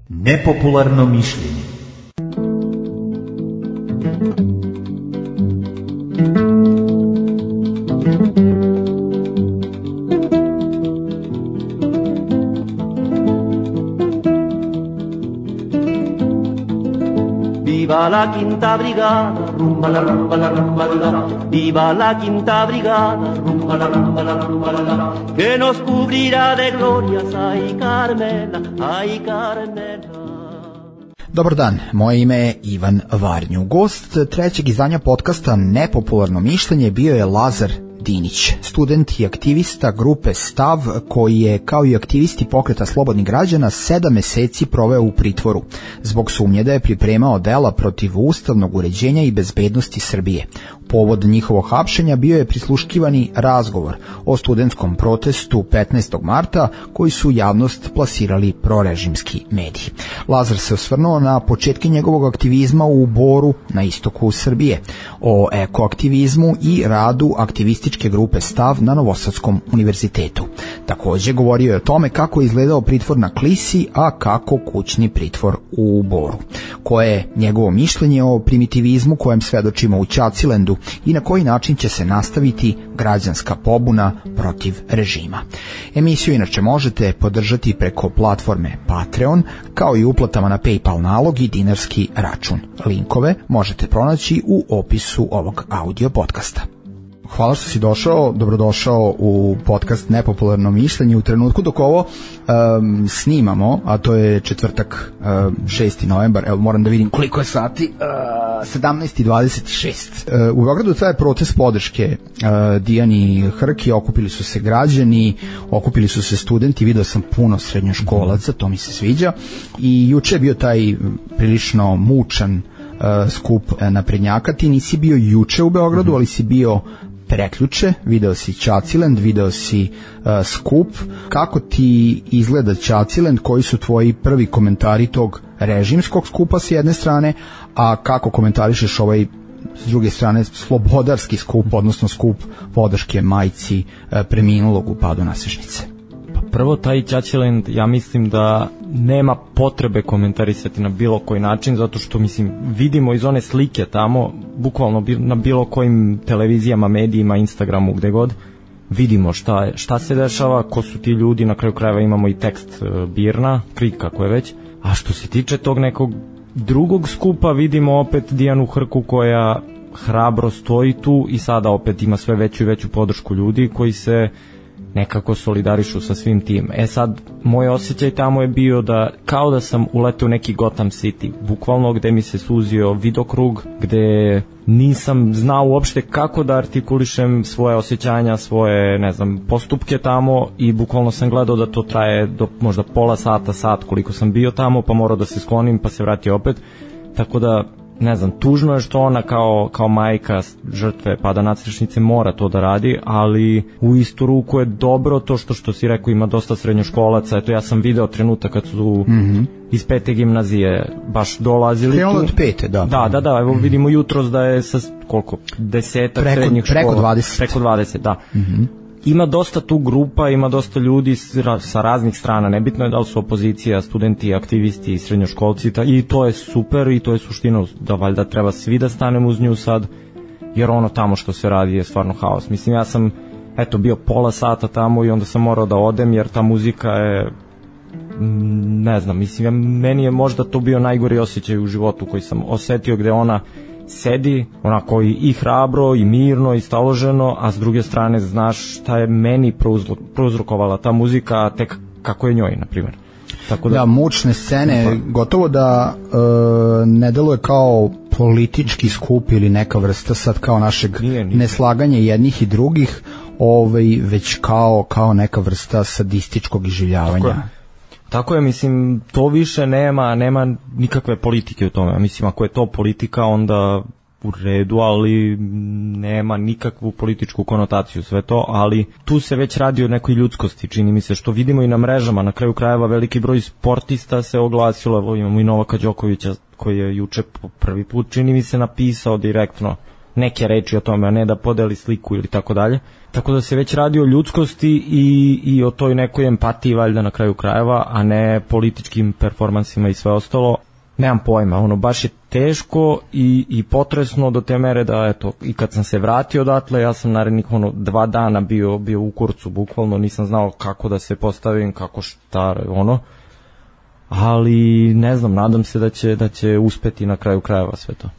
Nepopularno mišljenje. Viva la quinta brigada, rumba la rumba la rumba la. Viva la quinta brigada, rumba la rumba la rumba la. Que nos cubrirá de glorias, ay Carmela, ay Carmela. Dobar dan, moje ime je Ivan Varnju. Gost trećeg izdanja podcasta Nepopularno mišljenje bio je Lazar Dinić, student i aktivista grupe Stav, koji je, kao i aktivisti pokreta slobodnih građana, 7 meseci proveo u pritvoru zbog sumnje da je pripremao dela protiv ustavnog uređenja i bezbednosti Srbije. Povod njihovog hapšenja bio je prisluškivani razgovor o studentskom protestu 15. marta koji su javnost plasirali prorežimski mediji. Lazar se osvrnuo na početke njegovog aktivizma u Boru na istoku Srbije, o ekoaktivizmu i radu aktivističke grupe Stav na Novosadskom univerzitetu. Takođe govorio je o tome kako je izgledao pritvor na Klisi, a kako kućni pritvor u Boru. Koje je njegovo mišljenje o primitivizmu kojem svedočimo u Ćacilendu i na koji način će se nastaviti građanska pobuna protiv režima. Emisiju inače možete podržati preko platforme Patreon, kao i uplatama na PayPal nalog i dinarski račun. Linkove možete pronaći u opisu ovog audio podcasta. Hvala što si došao, dobrodošao u podcast Nepopularno mišljenje u trenutku dok ovo snimamo, a to je četvrtak, 6. novembar, evo moram da vidim koliko je sati, 17:26. U Beogradu traje protest podrške Dijani Hrki, okupili su se građani, okupili su se studenti, video sam puno srednjoškolaca, to mi se sviđa, i juče je bio taj prilično mučan skup naprednjaka. Ti nisi bio juče u Beogradu, ali si bio preključe, video si Ćacilend, video si skup. Kako ti izgleda Ćacilend, koji su tvoji prvi komentari tog režimskog skupa s jedne strane, a kako komentarišeš ovaj s druge strane slobodarski skup, odnosno skup podrške majci preminulog u padu Nasežnice? Prvo, taj Ćaćilend, ja mislim da nema potrebe komentarisati na bilo koji način, zato što, mislim, vidimo iz one slike tamo, bukvalno na bilo kojim televizijama, medijima, Instagramu, gde god, vidimo šta se dešava, ko su ti ljudi, na kraju krajeva imamo i tekst Birna, Krik, kako je već. A što se tiče tog nekog drugog skupa, vidimo opet Dijanu Hrku koja hrabro stoji tu i sada opet ima sve veću i veću podršku ljudi koji se nekako solidarišu sa svim tim. Sad, moj osjećaj tamo je bio da kao da sam uleteo u neki Gotham City, bukvalno gde mi se suzio vidokrug, gde nisam znao uopšte kako da artikulišem svoje osjećanja, svoje, ne znam, postupke tamo, i bukvalno sam gledao da to traje do možda pola sata, sat koliko sam bio tamo, pa morao da se sklonim, pa se vratio opet, tako da, ne znam, tužno je što ona kao majka žrtve pada Nasežnice mora to da radi, ali u istu ruku je dobro to što si rekao, ima dosta srednjoškolaca. Eto, ja sam video trenutak kad su iz 5. gimnazije baš dolazili tu. Od 5. Da, evo vidimo jutros da je sa koliko, 10 srednjih škola. Preko 20, da. Ima dosta tu grupa, ima dosta ljudi sa raznih strana, nebitno je da li su opozicija, studenti, aktivisti, srednjoškolci, i to je super i to je suština, da valjda treba svi da stanemo uz nju sad, jer ono tamo što se radi je stvarno haos. Mislim, ja sam bio pola sata tamo i onda sam morao da odem, jer ta muzika je, ne znam, mislim, meni je možda to bio najgori osjećaj u životu koji sam osetio, gde ona sedi onako i hrabro i mirno i staloženo, a s druge strane znaš šta je meni prouzrokovala ta muzika, a tek kako je njoj, na primjer. Tako da, mučne scene, gotovo da ne deluje kao politički skup ili neka vrsta sad kao našeg neslaganja jednih i drugih, već kao neka vrsta sadističkog iživljavanja. Tako je, mislim, to više nema nikakve politike u tome. Mislim, ako je to politika, onda u redu, ali nema nikakvu političku konotaciju sve to, ali tu se već radi o nekoj ljudskosti, čini mi se, što vidimo i na mrežama. Na kraju krajeva veliki broj sportista se oglasilo, imamo i Novaka Đokovića koji je juče prvi put, čini mi se, napisao direktno neke reči o tome, a ne da podeli sliku ili tako dalje. Tako da se već radi o ljudskosti i o toj nekoj empatiji valjda na kraju krajeva, a ne političkim performansima i sve ostalo. Nemam pojma, baš je teško i potresno do te mere da, eto, i kad sam se vratio odatle, ja sam narednih 2 dana bio u kurcu, bukvalno, nisam znao kako da se postavim, kako šta, ali ne znam, nadam se da će uspeti na kraju krajeva sve to.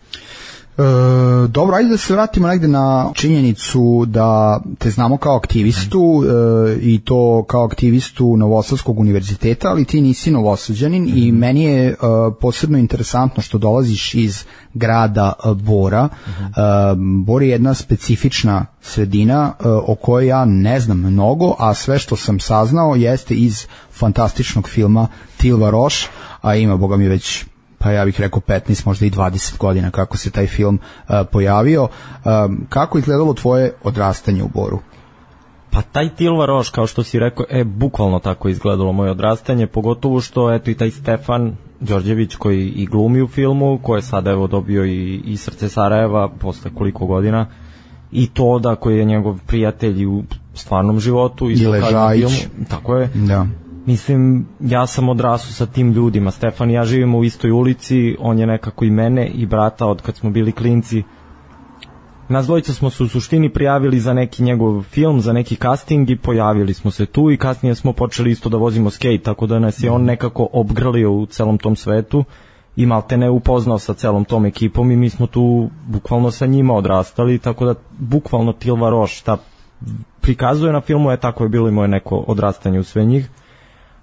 Dobro, ajde da se vratimo negde na činjenicu da te znamo kao aktivistu i to kao aktivistu Novosadskog univerziteta, ali ti nisi Novosađanin i meni je posebno interesantno što dolaziš iz grada Bora. Bor je jedna specifična sredina o kojoj ja ne znam mnogo, a sve što sam saznao jeste iz fantastičnog filma Tilva Roš, a ima, boga mi, već pa ja bih rekao 15, možda i 20 godina kako se taj film pojavio. Kako je izgledalo tvoje odrastanje u Boru? Pa taj Tilva Roš, kao što si rekao, bukvalno tako izgledalo moje odrastanje, pogotovo što eto i taj Stefan Đorđević koji i glumi u filmu, koji je sada evo dobio i Srce Sarajeva posle koliko godina, i Toda koji je njegov prijatelj u stvarnom životu, i Ležajić. Tako je. Da. Mislim, ja sam odrasao sa tim ljudima. Stefan i ja živimo u istoj ulici, on je nekako i mene i brata od kad smo bili klinci. Nas dvojica smo se u suštini prijavili za neki njegov film, za neki casting i pojavili smo se tu i kasnije smo počeli isto da vozimo skate, tako da nas je on nekako obgrlio u celom tom svetu i malte ne upoznao sa celom tom ekipom i mi smo tu bukvalno sa njima odrastali, tako da bukvalno Tilva Roš šta prikazuje na filmu je tako je bilo i moje neko odrastanje u sve njih.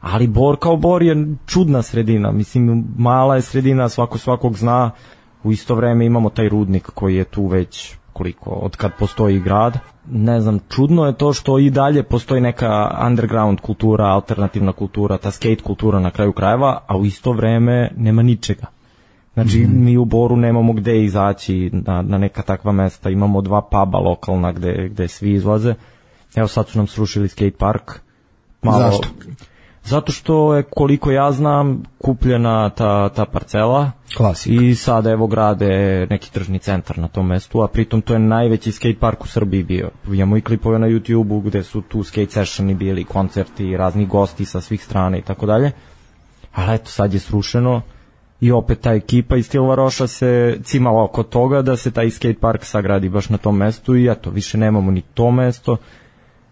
Ali Bor kao Bor je čudna sredina, mislim mala je sredina, svakog zna, u isto vreme imamo taj rudnik koji je tu već koliko, od kad postoji grad. Ne znam, čudno je to što i dalje postoji neka underground kultura, alternativna kultura, ta skate kultura na kraju krajeva, a u isto vreme nema ničega. Znači mi u Boru nemamo gde izaći na neka takva mesta, imamo 2 puba lokalna gde svi izlaze. Evo sad su nam srušili skate park. Zašto? Zato što je, koliko ja znam, kupljena ta parcela. Klasik. I sada evo grade neki tržni centar na tom mestu, a pritom to je najveći skate park u Srbiji bio. Imamo i klipove na YouTube-u gde su tu skate sessioni bili, koncerti, razni gosti sa svih strana i tako dalje. Ali eto, sad je srušeno i opet ta ekipa iz Tilva Roša se cimala oko toga da se taj skate park sagradi baš na tom mestu i eto, više nemamo ni to mesto.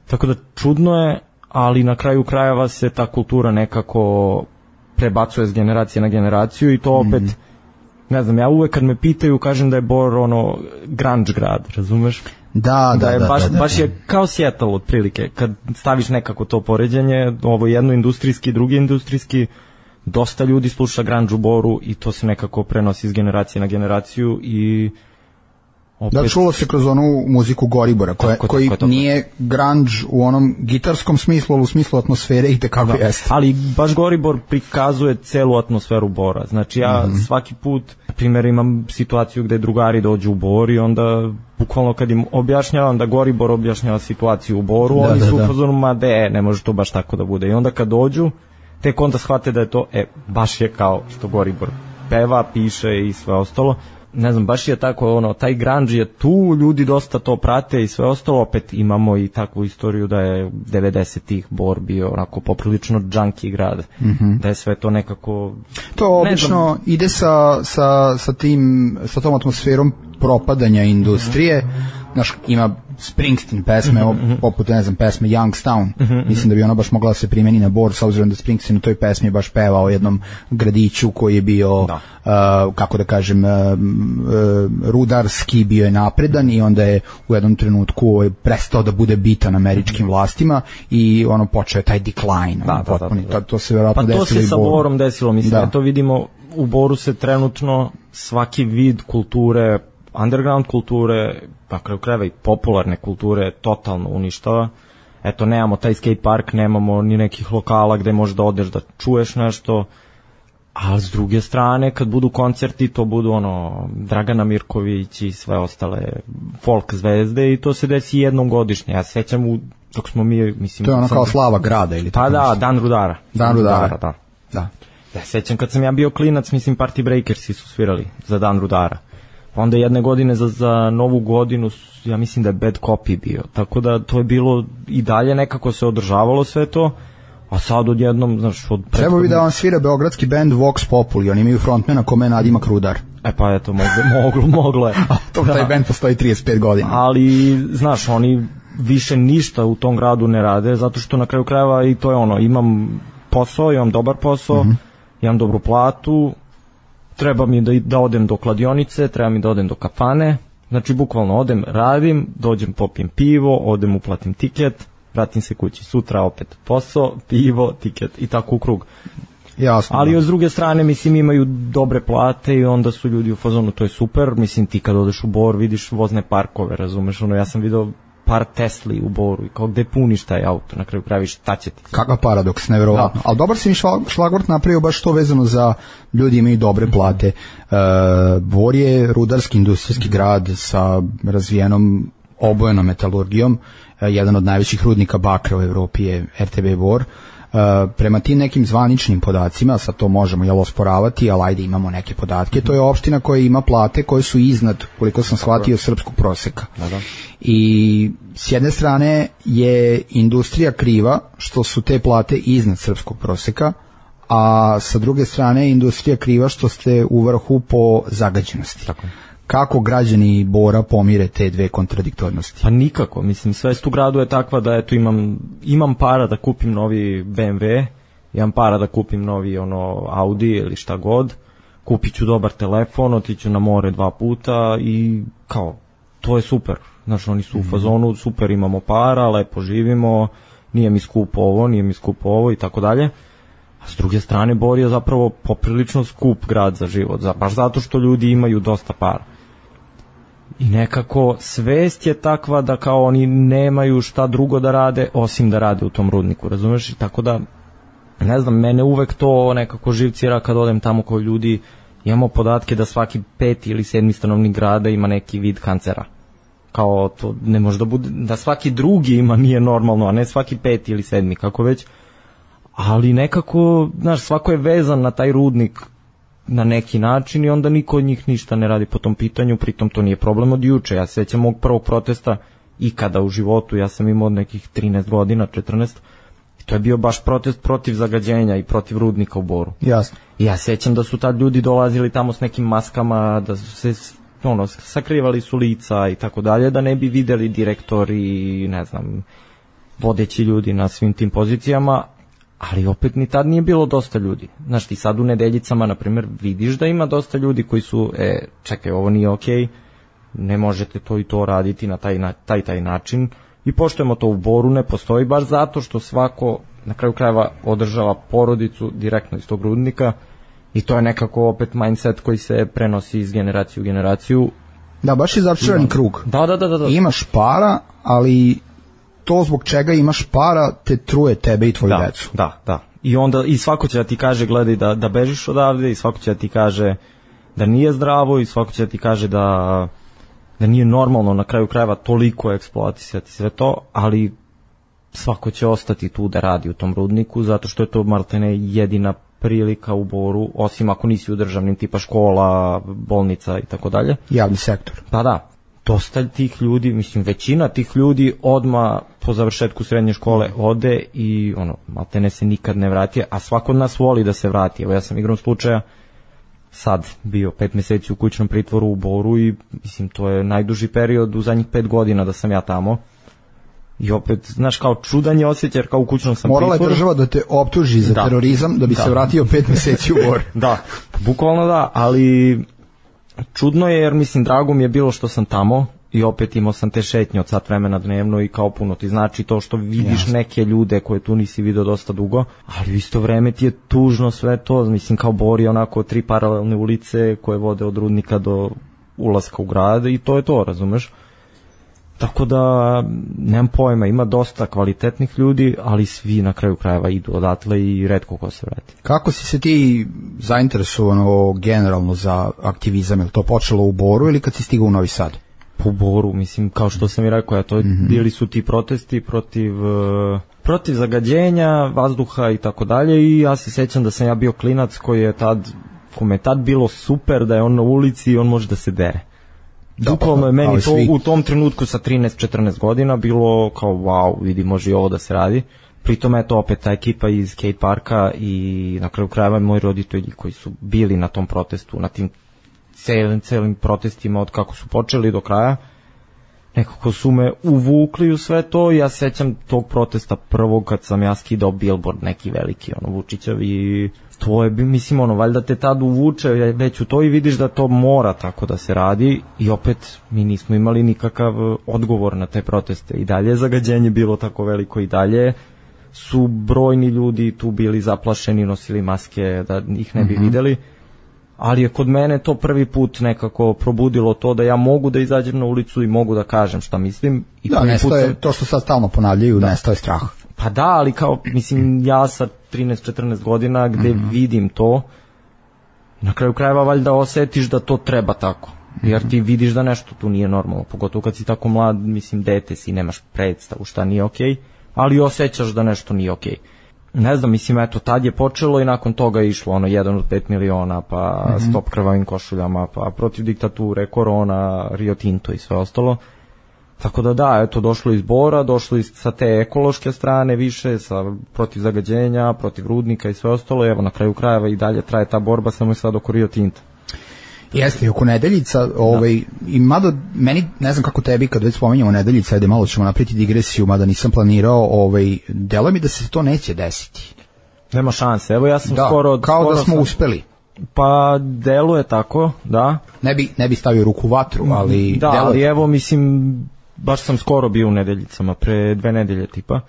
Tako da čudno je, ali na kraju krajeva se ta kultura nekako prebacuje s generacije na generaciju i to opet, ne znam, ja uvek kad me pitaju kažem da je Bor grunge grad, razumeš? Da, baš je kao Seattle otprilike, kad staviš nekako to poređenje, ovo jedno industrijski, drugi industrijski, dosta ljudi sluša grunge u Boru i to se nekako prenosi s generacije na generaciju i opet... Da, čulo se kroz onu muziku Goribora, koji nije grunge u onom gitarskom smislu, ali u smislu atmosfere i tekako jeste. Ali baš Goribor prikazuje celu atmosferu Bora. Znači ja svaki put, na primjer, imam situaciju gde drugari dođu u Bor i onda bukvalno kad im objašnjavam da Goribor objašnjava situaciju u Boru, oni su u fazonu, ma ne može to baš tako da bude. I onda kad dođu, tek onda shvate da je to, baš je kao što Goribor peva, piše i sve ostalo. Ne znam, baš je tako, taj grunge je tu, ljudi dosta to prate i sve ostalo, opet imamo i takvu istoriju da je 90-ih Bor bio onako poprilično junkie grad, da je sve to nekako... To obično ide sa tom atmosferom propadanja industrije, znaš, ima Springsteen pesme, poput, ne znam, pesme Youngstown, mislim da bi ona baš mogla da se primeni na Bor, s obzirom da Springsteen u toj pesmi baš peva o jednom gradiću koji je bio, kako da kažem, rudarski, bio je napredan i onda je u jednom trenutku prestao da bude bitan američkim vlastima i počeo je taj decline. To se verovatno desilo i Boru. Pa to se sa Borom desilo, mislim, to vidimo, u Boru se trenutno svaki vid kulture, underground kulture, pa kraju krajeva i popularne kulture totalno uništava. Eto, nemamo taj skate park, nemamo ni nekih lokala gde možeš da odeš da čuješ nešto, a s druge strane kad budu koncerti to budu Dragana Mirković i sve ostale folk zvezde i to se desi jednom godišnje. Ja se sećam dok smo mi, mislim... To je kao slava grada ili tako? Pa da, Dan Rudara. Dan Rudara, da. Ja sećam kad sam ja bio klinac, mislim Party Breakersi su svirali za Dan Rudara. Onda jedne godine za novu godinu, ja mislim da je Bad Copy bio, tako da to je bilo i dalje nekako se održavalo sve to, a sad odjednom, znaš, Treba bi da vam svira beogradski band Vox Populi, oni imaju frontmana kome je nadimak Rudar. Pa eto, moglo je. Taj band postoji 35 godina. Ali, znaš, oni više ništa u tom gradu ne rade, zato što na kraju krajeva i to je ono, imam posao, imam dobar posao, imam dobru platu, treba mi da odem do kladionice, treba mi da odem do kafane, znači bukvalno odem, radim, dođem, popijem pivo, odem, uplatim tiket, vratim se kući, sutra opet posao, pivo, tiket i tako u krug. Jasno. Ali s druge strane, mislim, imaju dobre plate i onda su ljudi u fazonu, to je super, mislim, ti kad odeš u Bor vidiš vozne parkove, razumeš, ono, ja sam vidio par Tesli u Boru i kao gde puniš taj auto, na kraju praviš, šta će ti? Kakav paradoks, nevjerovatno. Ali dobar si mi šlagvort napravio baš to vezano za ljudi imaju dobre plate. Bor je rudarski industrijski grad sa razvijenom obojenom metalurgijom, jedan od najvećih rudnika bakra u Evropi je RTB Bor. Prema tim nekim zvaničnim podacima, sad to možemo osporavati, ali ajde imamo neke podatke, to je opština koja ima plate koje su iznad, koliko sam shvatio, srpskog proseka. I s jedne strane je industrija kriva što su te plate iznad srpskog proseka, a sa druge strane je industrija kriva što ste u vrhu po zagađenosti. Tako. Kako građani Bora pomire te dve kontradiktornosti? Pa nikako, mislim, svest u gradu je takva da eto imam para da kupim novi BMW, imam para da kupim novi Audi ili šta god, kupit ću dobar telefon, otiću na more 2 puta i kao, to je super. Znaš, oni su u fazonu, super, imamo para, lepo živimo, nije mi skupo ovo i tako dalje. A s druge strane, Bor je zapravo poprilično skup grad za život, baš zato što ljudi imaju dosta para. I nekako svest je takva da kao oni nemaju šta drugo da rade osim da rade u tom rudniku, razumeš? I tako da, ne znam, mene uvek to nekako živcira kad odem tamo koji ljudi, imamo podatke da svaki 5. ili 7. stanovnik grada ima neki vid kancera. Kao to ne može da bude, da svaki drugi ima, nije normalno, a ne svaki 5. ili 7. kako već. Ali nekako, znaš, svako je vezan na taj rudnik na neki način i onda niko od njih ništa ne radi po tom pitanju, pritom to nije problem od juče. Ja se sjećam mog prvog protesta ikada u životu, ja sam imao od nekih 13 godina, 14, i to je bio baš protest protiv zagađenja i protiv rudnika u Boru. Jasno. I ja sjećam da su tad ljudi dolazili tamo s nekim maskama, da su se sakrivali su lica i tako dalje, da ne bi videli direktori, ne znam, vodeći ljudi na svim tim pozicijama, ali opet ni tad nije bilo dosta ljudi. Znaš, ti sad u Nedeljicama, na primjer, vidiš da ima dosta ljudi koji su, čekaj, ovo nije okej, ne možete to i to raditi na taj način, i poštujemo to. U Boru ne postoji baš zato što svako na kraju krajeva održava porodicu direktno iz tog rudnika i to je nekako opet mindset koji se prenosi iz generacije u generaciju. Da, baš je začarani krug. Da. Imaš para, ali to zbog čega imaš para te truje tebe i tvoju decu. Da. I onda i svako će da ti kaže gledaj da bežiš odavde, i svako će da ti kaže da nije zdravo, i svako će da ti kaže da nije normalno na kraju krajeva toliko eksploatisati sve to, ali svako će ostati tu da radi u tom rudniku zato što je to maltene jedina prilika u Boru, osim ako nisi u državnim tipa škola, bolnica i tako dalje. Javni sektor. Pa da. Dosta tih ljudi, mislim većina tih ljudi odmah po završetku srednje škole ode i maltene se nikad ne vrati, a svako od nas voli da se vrati. Evo ja sam igrom slučaja sad bio 5 mjeseci u kućnom pritvoru u Boru i mislim to je najduži period u zadnjih 5 godina da sam ja tamo. I opet, znaš, kao čudan je osjećaj jer kao u kućnom sam pritvoru. Morala je država da te optuži za terorizam da bi se vratio 5 mjeseci u Bor. Da, bukvalno da, ali čudno je jer mislim drago mi je bilo što sam tamo i opet imao sam te šetnje od sat vremena dnevno i kao puno ti znači to što vidiš neke ljude koje tu nisi vidio dosta dugo, ali u isto vreme ti je tužno sve to, mislim kao Bor je onako 3 paralelne ulice koje vode od rudnika do ulaska u grad i to je to, razumeš? Tako da, nemam pojma, ima dosta kvalitetnih ljudi, ali svi na kraju krajeva idu odatle i retko ko se vrati. Kako si se ti zainteresovano generalno za aktivizam? Je li to počelo u Boru ili kad si stigao u Novi Sad? Po Boru, mislim, kao što sam i rekao, bili su ti protesti protiv zagađenja, vazduha i tako dalje, i ja se sjećam da sam ja bio klinac kome je tad bilo super da je on na ulici i on može da se dere. Bukvalno je meni to u tom trenutku sa 13-14 godina bilo kao wow, vidi, može i ovo da se radi. Pritom je to opet ta ekipa iz skate parka i na kraju krajeva moji roditelji koji su bili na tom protestu, na tim celim protestima od kako su počeli do kraja, nekako su me uvukli u sve to. Ja sećam tog protesta prvog kad sam ja skidao billboard neki veliki, Vučićev, i to je, mislim, valjda te tad uvuče već u to i vidiš da to mora tako da se radi i opet mi nismo imali nikakav odgovor na te proteste. I dalje je zagađenje bilo tako veliko, i dalje su brojni ljudi tu bili zaplašeni, nosili maske da ih ne bi videli, ali je kod mene to prvi put nekako probudilo to da ja mogu da izađem na ulicu i mogu da kažem šta mislim. I da, nestoje, to što sad stalno ponavljaju, nestoje strah. Pa da, ali kao, mislim, ja sa 13-14 godina gde vidim to, na kraju krajeva valjda osetiš da to treba tako. Jer ti vidiš da nešto tu nije normalno, pogotovo kad si tako mlad, mislim, dete si, nemaš predstavu šta nije okej, ali osjećaš da nešto nije okej. Ne znam, mislim, eto, tad je počelo i nakon toga je išlo 1 od 5 miliona, pa stop krvavim košuljama, pa protiv diktature, korona, Rio Tinto i sve ostalo. Tako da, eto, došlo iz Bora, došlo i sa te ekološke strane više, protiv zagađenja, protiv rudnika i sve ostalo. Evo, na kraju krajeva i dalje traje ta borba, samo je sad oko Rio Tinta. Jeste, i oko Nedeljica, i mada meni, ne znam kako tebi, kad već spomenjamo Nedeljica, ajde malo ćemo napriti digresiju, mada nisam planirao, deluje mi da se to neće desiti. Nema šanse, evo ja sam skoro da smo uspeli. Pa deluje tako, da. Ne bi stavio ruku u vatru, ali da, ali evo, mislim, baš sam skoro bio u Nedeljicama, pre 2 nedelje tipa.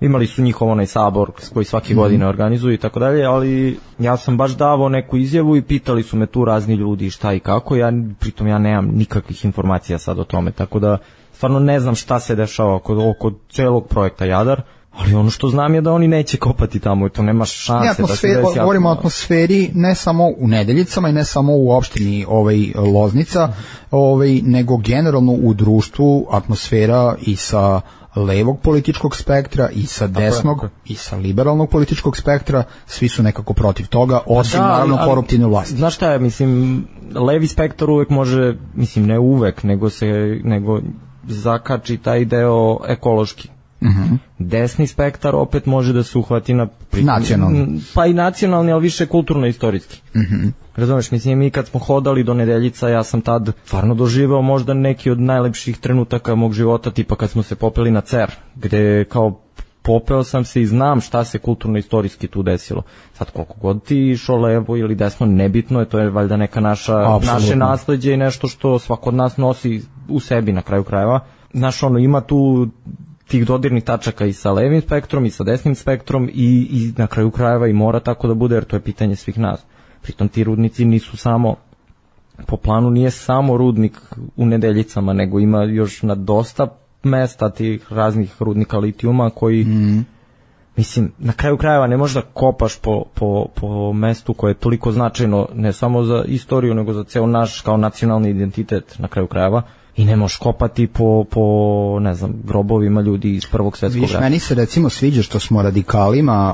Imali su njihov onaj sabor koji svake godine organizuju i tako dalje, ali ja sam baš davao neku izjavu i pitali su me tu razni ljudi šta i kako, pritom ja nemam nikakvih informacija sad o tome, tako da stvarno ne znam šta se dešava oko celog projekta Jadar, ali ono što znam je da oni neće kopati tamo i to nema šanse da se desi. Govorimo o atmosferi ne samo u Nedeljicama i ne samo u opštini Loznica, nego generalno u društvu atmosfera i sa levog političkog spektra i sa desnog i sa liberalnog političkog spektra, svi su nekako protiv toga, osim naravno koruptivne vlasti. Znaš šta je, mislim, levi spektar uvek može, mislim, ne uvek, nego zakači taj deo ekološki. Desni spektar opet može da se uhvati na nacionalni. Pa i nacionalni, ali više kulturno-istorijski. Razumeš, mislim, mi kad smo hodali do Nedeljica, ja sam tad stvarno doživao možda neki od najlepših trenutaka mog života, tipa kad smo se popeli na Cer, gde kao popeo sam se i znam šta se kulturno-istorijski tu desilo. Sad koliko god ti išao levo ili desno, nebitno je, to je valjda neka naše nasleđe i nešto što svako od nas nosi u sebi na kraju krajeva. Znaš, ima tu tih dodirnih tačaka i sa levim spektrom i sa desnim spektrom i na kraju krajeva i mora tako da bude, jer to je pitanje svih nas. Pritom ti rudnici nisu samo, po planu nije samo rudnik u Nedeljicama, nego ima još na dosta mesta tih raznih rudnika litijuma koji, mislim, na kraju krajeva ne možeš da kopaš po mestu koje je toliko značajno ne samo za istoriju, nego za ceo naš kao nacionalni identitet na kraju krajeva. I ne možeš kopati po ne znam, grobovima ljudi iz Prvog svjetskog rata. Meni se recimo sviđa što smo radikalima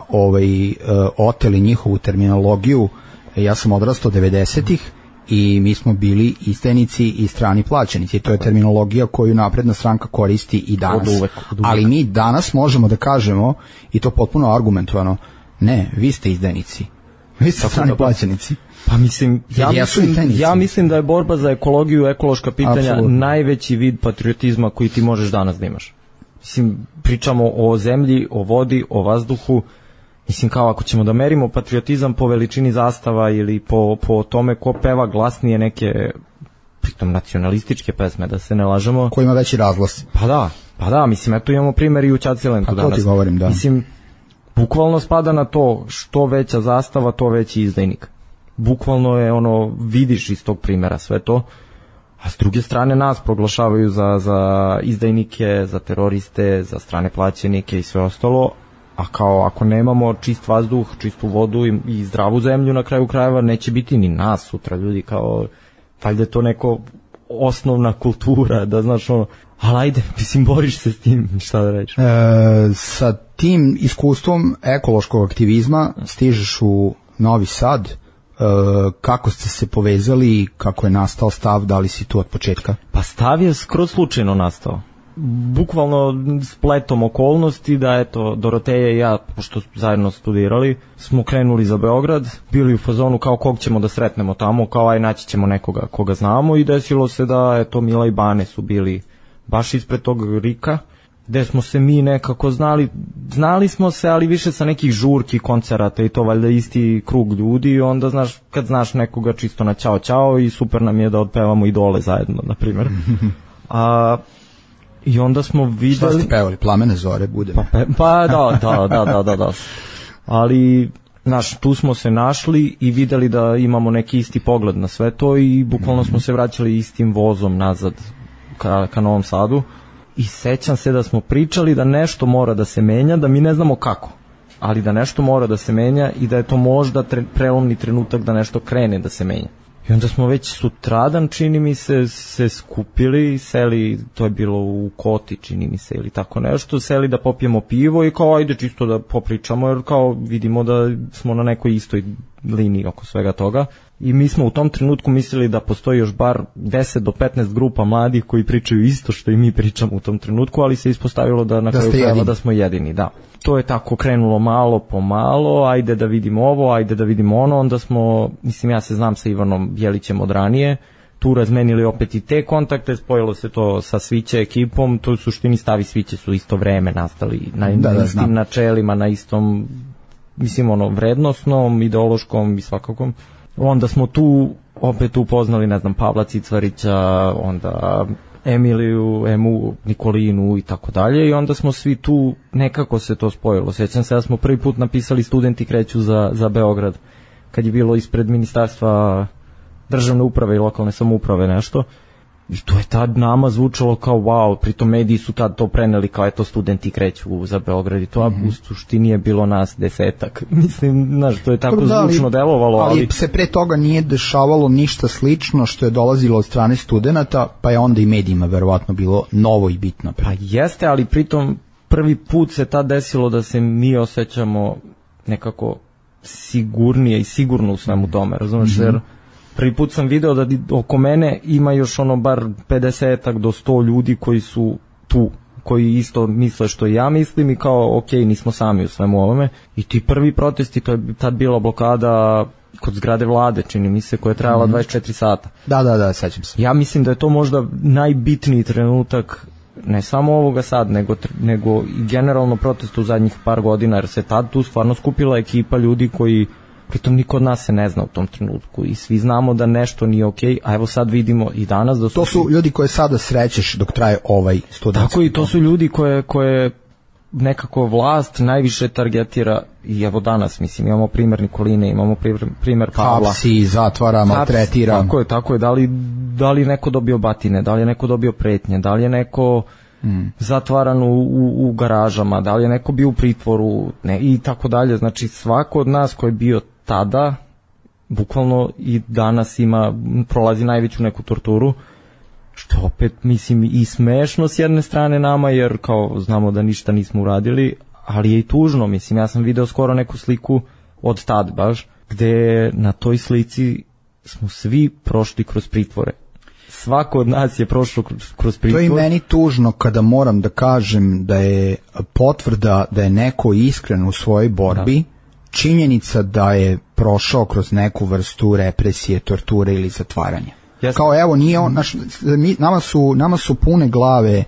oteli njihovu terminologiju. Ja sam odrastao 90-ih i mi smo bili izdajnici i strani plaćenici. To je terminologija koju napredna stranka koristi i danas. Od uvek. Ali mi danas možemo da kažemo, i to potpuno argumentovano, ne, vi ste izdajnici. Vi ste strani plaćenici. Pa mislim, ja mislim da je borba za ekologiju, ekološka pitanja najveći vid patriotizma koji ti možeš danas da imaš. Mislim, pričamo o zemlji, o vodi, o vazduhu. Mislim, kao ako ćemo da merimo patriotizam po veličini zastava ili po tome ko peva glasnije neke, pritom nacionalističke pesme, da se ne lažemo. Ko ima veći razglas. Pa da, mislim, eto imamo primjer i u Ćacilentu danas. Pa to ti govorim, da. Mislim, bukvalno spada na to, što veća zastava, to veći izdajnik. Bukvalno je vidiš iz tog primjera sve to, a s druge strane nas proglašavaju za izdajnike, za teroriste, za strane plaćenike i sve ostalo, a kao ako nemamo čist vazduh, čistu vodu i zdravu zemlju na kraju krajeva, neće biti ni nas sutra, ljudi, kao valjda je to neko osnovna kultura, da znaš ali ajde, mislim, boriš se s tim, šta da reći. Sa tim iskustvom ekološkog aktivizma stižeš u Novi Sad, kako ste se povezali, kako je nastao Stav, da li si tu od početka? Pa Stav je skroz slučajno nastao. Bukvalno spletom okolnosti da eto Doroteja i ja, pošto zajedno studirali, smo krenuli za Beograd, bili u fazonu kao kog ćemo da sretnemo tamo, kao aj naći ćemo nekoga koga znamo i desilo se da eto Mila i Bane su bili baš ispred tog Rika, gde smo se mi nekako znali smo se, ali više sa nekih žurki, koncerata i to valjda isti krug ljudi i onda znaš, kad znaš nekoga čisto na ćao ćao i super nam je da otpevamo Idole zajedno, na primjer. I onda smo videli... Šta ste pevali? Plamene zore bude? Pa da. Ali, znaš, tu smo se našli i videli da imamo neki isti pogled na sve to i bukvalno smo se vraćali istim vozom nazad ka Novom Sadu. I sećam se da smo pričali da nešto mora da se menja, da mi ne znamo kako, ali da nešto mora da se menja i da je to možda prelomni trenutak da nešto krene da se menja. I onda smo već sutradan, čini mi se skupili, seli, to je bilo u Koti, čini mi se, ili tako nešto, seli da popijemo pivo i kao ajde čisto da popričamo, jer kao vidimo da smo na nekoj istoj liniji oko svega toga. I mi smo u tom trenutku mislili da postoji još bar 10 do 15 grupa mladih koji pričaju isto što i mi pričamo u tom trenutku, ali se ispostavilo da na kraju krajeva da smo jedini, da. To je tako krenulo malo po malo, ajde da vidimo ovo, ajde da vidimo ono, onda smo, mislim ja se znam sa Ivanom Jelićem od ranije, tu razmenili opet i te kontakte, spojilo se to sa Sviće ekipom, to u suštini Stav i Sviće su isto vreme nastali na istim načelima, na istom, mislim vrednosnom, ideološkom i svakakom. Onda smo tu opet upoznali, ne znam, Pavla Cicvarića, onda Emiliju, Emu, Nikolinu i tako dalje i onda smo svi tu, nekako se to spojilo. Sjećam se da smo prvi put napisali Studenti kreću za Beograd, kad je bilo ispred Ministarstva državne uprave i lokalne samouprave nešto. I to je tad nama zvučalo kao wow, pritom mediji su tad to preneli kao eto Studenti kreću za Beograd i to u suštini je bilo nas 10-ak. Mislim, znaš, to je tako zvučno delovalo. Ali se pre toga nije dešavalo ništa slično što je dolazilo od strane studenata, pa je onda i medijima verovatno bilo novo i bitno. Pa jeste, ali pritom prvi put se tad desilo da se mi osjećamo nekako sigurnije i sigurno u svemu tome, razumeš, jer prvi put sam video da oko mene ima još bar 50-ak do 100 ljudi koji su tu, koji isto misle što ja mislim i kao ok, nismo sami u svemu ovome. I ti prvi protesti, to je tad bila blokada kod zgrade vlade, čini mi se, koja je trajala 24 sata. Da, sećam se. Ja mislim da je to možda najbitniji trenutak, ne samo ovoga sad, nego i generalno protesta u zadnjih par godina, jer se tad tu stvarno skupila ekipa ljudi koji pritom niko od nas se ne zna u tom trenutku i svi znamo da nešto nije okej, a evo sad vidimo i danas da su... To su ljudi koje sada srećeš dok traje ovaj studentski. Tako i to su ljudi koje nekako vlast najviše targetira i evo danas, mislim, imamo primjer Nikoline, imamo primjer Pavla. Hapsi, zatvara, maltretira. Tako je, da li neko dobio batine, da li je neko dobio pretnje, da li je neko zatvaran u garažama, da li je neko bio u pritvoru, ne, i tako dalje. Znači svako od nas koji je bio tada, bukvalno i danas prolazi najveću neku torturu, što opet mislim i smešno s jedne strane nama, jer kao znamo da ništa nismo uradili, ali je i tužno, mislim, ja sam video skoro neku sliku od tad baš, gde na toj slici smo svi prošli kroz pritvore. Svako od nas je prošlo kroz pritvor. To je i meni tužno kada moram da kažem da je potvrda da je neko iskren u svojoj borbi, činjenica da je prošao kroz neku vrstu represije, torture ili zatvaranja. Yes. Kao evo, nije on, nama su pune glave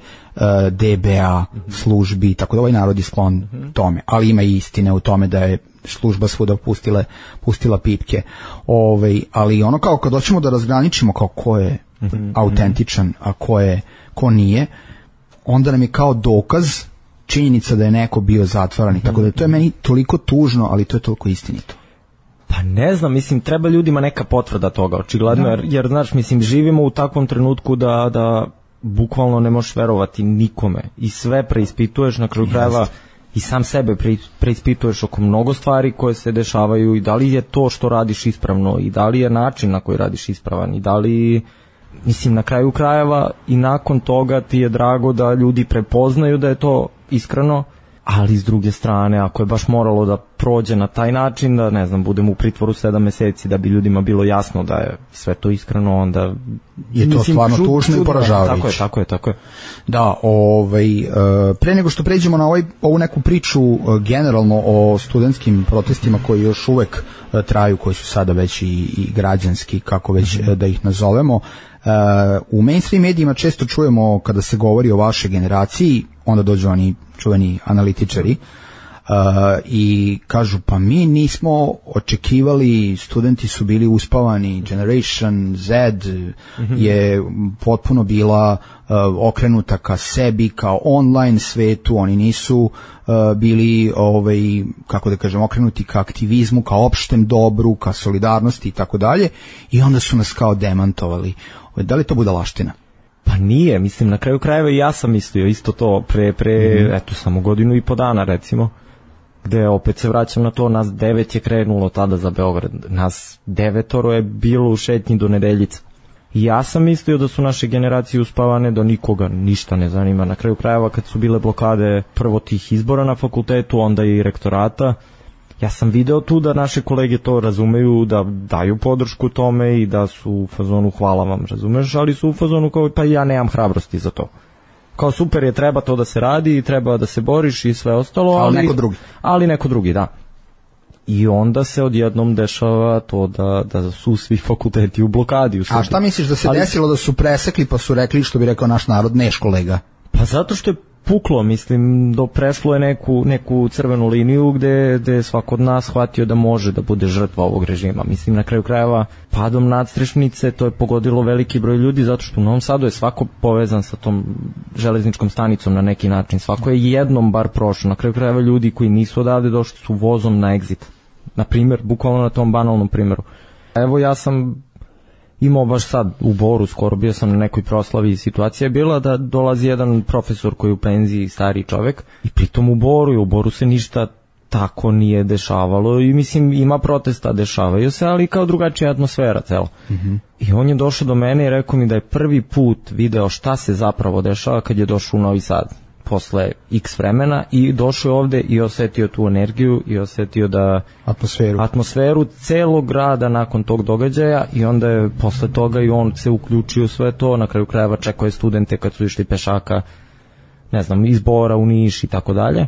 DBA, službi, tako da ovaj narod je sklon tome, ali ima i istine u tome da je služba svuda pustila pipke. Ali ono kao kad hoćemo da razgraničimo kao ko je autentičan, a ko nije, onda nam je kao dokaz činjenica da je neko bio zatvaran, tako da to je meni toliko tužno, ali to je toliko istinito. Pa ne znam, mislim, treba ljudima neka potvrda toga, očigledno, jer znaš, mislim, živimo u takvom trenutku da bukvalno ne možeš verovati nikome i sve preispituješ na kraju krajeva i sam sebe preispituješ oko mnogo stvari koje se dešavaju i da li je to što radiš ispravno i da li je način na koji radiš ispravan i da li, mislim, na kraju krajeva i nakon toga ti je drago da ljudi prepoznaju da je to iskreno, ali s druge strane, ako je baš moralo da prođe na taj način, da ne znam, budem u pritvoru 7 meseci da bi ljudima bilo jasno da je sve to iskreno, onda je to stvarno tužno i poražavajuće. Tako je. Da, pre nego što pređemo na ovu neku priču generalno o studentskim protestima koji još uvek traju, koji su sada već i građanski, kako već da ih nazovemo, u mainstream medijima često čujemo kada se govori o vašoj generaciji, onda dođu oni čuveni analitičari i kažu pa mi nismo očekivali, studenti su bili uspavani, Generation Z je potpuno bila okrenuta ka sebi, kao online svetu, oni nisu bili kako da kažem, okrenuti ka aktivizmu, ka opštem dobru, ka solidarnosti i tako dalje, i onda su nas kao demantovali. Da li to budalaština? Pa nije, mislim, na kraju krajeva i ja sam mislio isto to eto, samo godinu i po dana, recimo, gde opet se vraćam na to, nas 9 je krenulo tada za Beograd, nas 9 je bilo u šetnji do Nedeljica. I ja sam mislio da su naše generacije uspavane, da nikoga ništa ne zanima. Na kraju krajeva, kad su bile blokade prvo tih izbora na fakultetu, onda i rektorata, ja sam video tu da naše kolege to razumeju, da daju podršku tome i da su u fazonu hvala vam, razumeš, ali su u fazonu kao pa ja nemam hrabrosti za to. Kao super je, treba to da se radi i treba da se boriš i sve ostalo, ali neko drugi, da. I onda se odjednom dešava to da su svi fakulteti u blokadi. A šta misliš da se desilo, da su presekli pa su rekli, što bi rekao naš narod, neš kolega? Pa zato što je puklo, mislim, prešlo je neku crvenu liniju gde je svako od nas shvatio da može da bude žrtva ovog režima. Mislim, na kraju krajeva, padom nadstrešnice, to je pogodilo veliki broj ljudi, zato što u Novom Sadu je svako povezan sa tom železničkom stanicom na neki način. Svako je jednom bar prošao. Na kraju krajeva ljudi koji nisu odavde došli su vozom na exit. Na primjer, bukvalno na tom banalnom primjeru. Evo, ja sam imao baš sad u Boru, skoro bio sam na nekoj proslavi, i situacija je bila da dolazi jedan profesor koji je u penziji, stari čovek, i pritom u Boru se ništa tako nije dešavalo i mislim ima protesta, dešavaju se, ali kao drugačija atmosfera cela. I on je došao do mene i rekao mi da je prvi put video šta se zapravo dešava kad je došao u Novi Sad posle x vremena i došao ovde i osetio tu energiju i osetio da atmosferu celog grada nakon tog događaja, i onda je posle toga i on se uključio u sve to. Na kraju krajeva čekao je studente kad su išli pešaka, ne znam, iz Bora u Niš i tako dalje.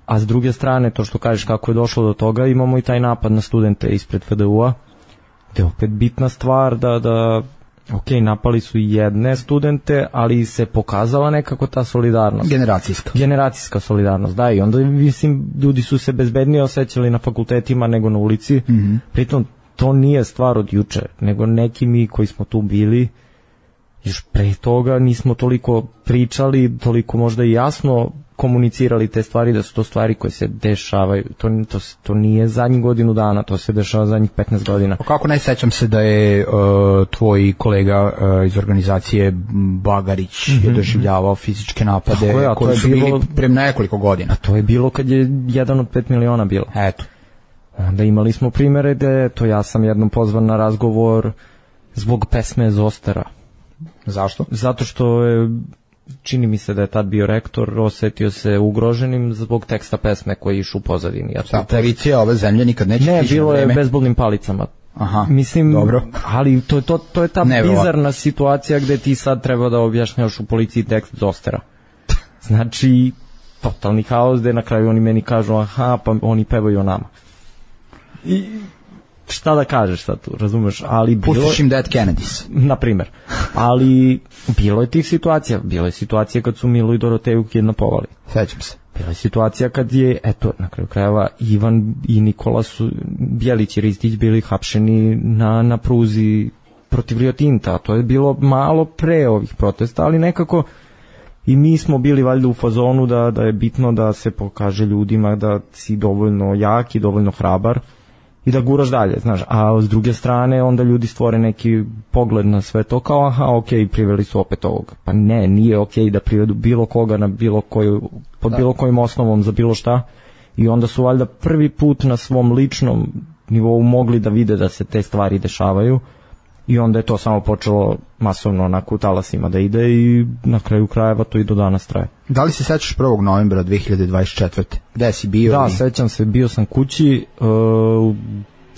A s druge strane, to što kažeš kako je došlo do toga, imamo i taj napad na studente ispred FDU-a, gde je opet bitna stvar da ok, napali su jedne studente, ali se pokazala nekako ta solidarnost. Generacijska solidarnost, da, i onda mislim ljudi su se bezbednije osjećali na fakultetima nego na ulici. Pritom to nije stvar od juče, nego neki mi koji smo tu bili još pre toga nismo toliko pričali, toliko možda i jasno komunicirali te stvari, da su to stvari koje se dešavaju. To nije zadnjih godinu dana, to se dešava zadnjih 15 godina. Kako ne sećam se da je tvoj kolega iz organizacije Bagarić je doživljavao fizičke napade koji su bili pre nekoliko godina. A to je bilo kad je 1 od 5 miliona bilo. Eto. Onda imali smo primere gde, ja sam jednom pozvan na razgovor zbog pesme Zostera. Zašto? Zato što je, čini mi se da je tad bio rektor, osetio se ugroženim zbog teksta pesme koji je išao u pozadini. Policija ove zemlje nikad neće stići na vreme. Ne, bilo je bezbolnim palicama. Aha, mislim, dobro. Ali to je ta bizarna situacija gde ti sad treba da objašnjaš u policiji tekst Zostera. Znači, totalni haos, gde na kraju oni meni kažu, aha, pa oni pevaju o nama. I šta da kažeš sad tu, razumeš? Pustiš im Dead Kennedys. Na primer. Ali bilo je tih situacija. Bilo je situacija kad su Milu i Doroteju kidnapovali. Sećam se. Bila je situacija kad je, na kraju krajeva, Ivan i Nikola su, Bjelić i Ristić bili hapšeni na pruzi protiv Rio Tinta. To je bilo malo pre ovih protesta, ali nekako i mi smo bili valjda u fazonu da je bitno da se pokaže ljudima da si dovoljno jak i dovoljno hrabar i da guraš dalje, znaš, a s druge strane onda ljudi stvore neki pogled na sve to kao, aha, okej, priveli su opet ovoga. Pa ne, nije okej da privedu bilo koga na bilo koju, pod bilo kojim osnovom za bilo šta, i onda su valjda prvi put na svom ličnom nivou mogli da vide da se te stvari dešavaju, I onda je to samo počelo masovno onako u talasima da ide i na kraju krajeva to i do danas traje. Da li se sećaš 1. novembra 2024. Gde si bio? Da, sećam se, bio sam kući,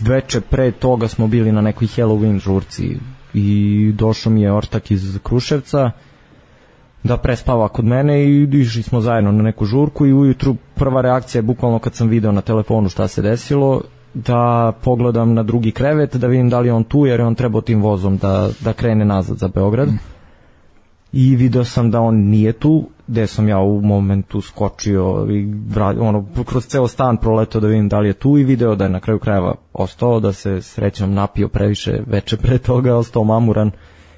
veče pre toga smo bili na nekoj Halloween žurci i došao mi je ortak iz Kruševca da prespava kod mene i išli smo zajedno na neku žurku i ujutru prva reakcija je bukvalno kad sam video na telefonu šta se desilo, da pogledam na drugi krevet, da vidim da li je on tu, jer je on trebao tim vozom da krene nazad za Beograd. I video sam da on nije tu, gde sam ja u momentu skočio i kroz ceo stan proletao da vidim da li je tu i video da je na kraju krajeva ostao, da se srećom napio previše veče pre toga, ostao mamuran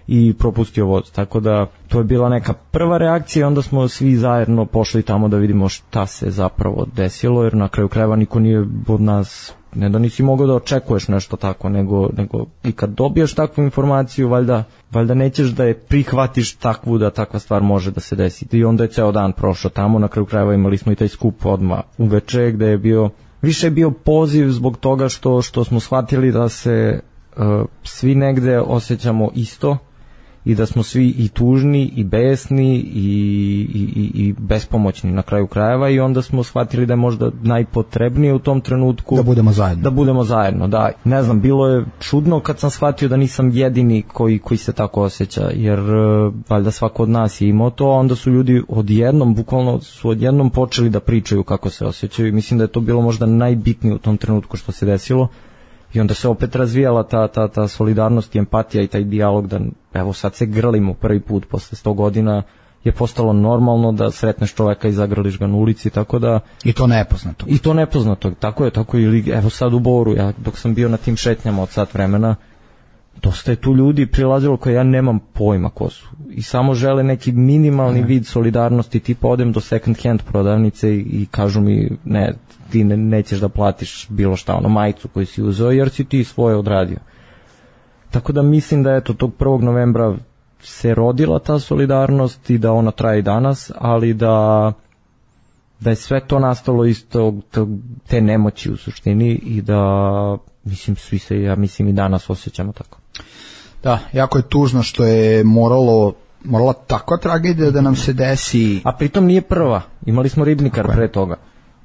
i propustio voz. Tako da to je bila neka prva reakcija, onda smo svi zajedno pošli tamo da vidimo šta se zapravo desilo, jer na kraju krajeva niko nije od nas, ne da nisi mogao da očekuješ nešto tako, nego i kad dobiješ takvu informaciju, valjda nećeš da je prihvatiš takvu da takva stvar može da se desi. I onda je ceo dan prošao tamo, na kraju krajeva imali smo i taj skup odmah uveče, gde je bio, više je bio poziv zbog toga što smo shvatili da se svi negde osjećamo isto i da smo svi i tužni i besni i bespomoćni na kraju krajeva, i onda smo shvatili da je možda najpotrebnije u tom trenutku da budemo zajedno. Da, ne znam, bilo je čudno kad sam shvatio da nisam jedini koji se tako osjeća, jer valjda svako od nas je imao to, a onda su ljudi odjednom počeli da pričaju kako se osjećaju i mislim da je to bilo možda najbitnije u tom trenutku što se desilo. I onda se opet razvijala ta solidarnost i empatija i taj dijalog da evo sad se grlimo prvi put posle 100 godina, je postalo normalno da sretneš čoveka i zagrliš ga na ulici, tako da... I to nepoznato. Tako je, ili evo sad u Boru, ja dok sam bio na tim šetnjama od sat vremena, dosta je tu ljudi prilazilo koje ja nemam pojma ko su i samo žele neki minimalni vid solidarnosti, tipa odem do second hand prodavnice i kažu mi ne, ti nećeš da platiš bilo šta, majicu koju si uzeo jer si ti svoje odradio. Tako da mislim da eto tog 1. novembra se rodila ta solidarnost i da ona traje i danas, ali da je sve to nastalo iz te nemoći u suštini i da mislim svi se, ja mislim i danas osjećamo tako. Da, jako je tužno što je morala takva tragedija da nam se desi. A pritom nije prva, imali smo Ribnikar pre toga.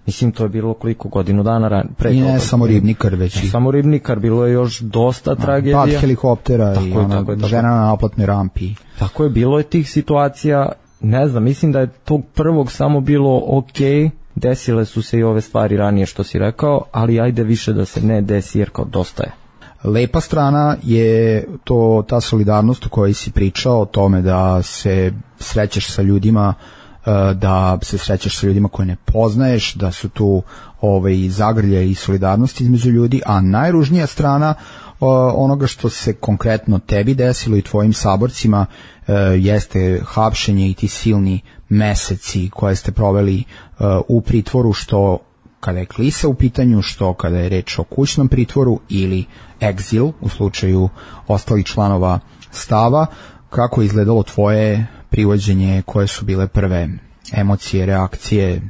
Mislim, to je bilo koliko godinu dana pre toga. I ne samo Ribnikar, već i... Samo Ribnikar, bilo je još dosta tragedija. Pad helikoptera i žena na naplatnoj rampi. Tako je, bilo je tih situacija, ne znam, mislim da je tog prvog samo bilo okej, desile su se i ove stvari ranije što si rekao, ali ajde više da se ne desi jer kao dosta je. Lepa strana je ta solidarnost o kojoj si pričao, o tome da se srećeš sa ljudima, koje ne poznaješ, da su tu zagrlje i solidarnost između ljudi, a najružnija strana onoga što se konkretno tebi desilo i tvojim saborcima jeste hapšenje i ti silni meseci koje ste proveli u pritvoru, što kada je klisa u pitanju, što kada je reč o kućnom pritvoru ili egzil u slučaju ostalih članova stava. Kako je izgledalo tvoje privođenje, koje su bile prve emocije, reakcije,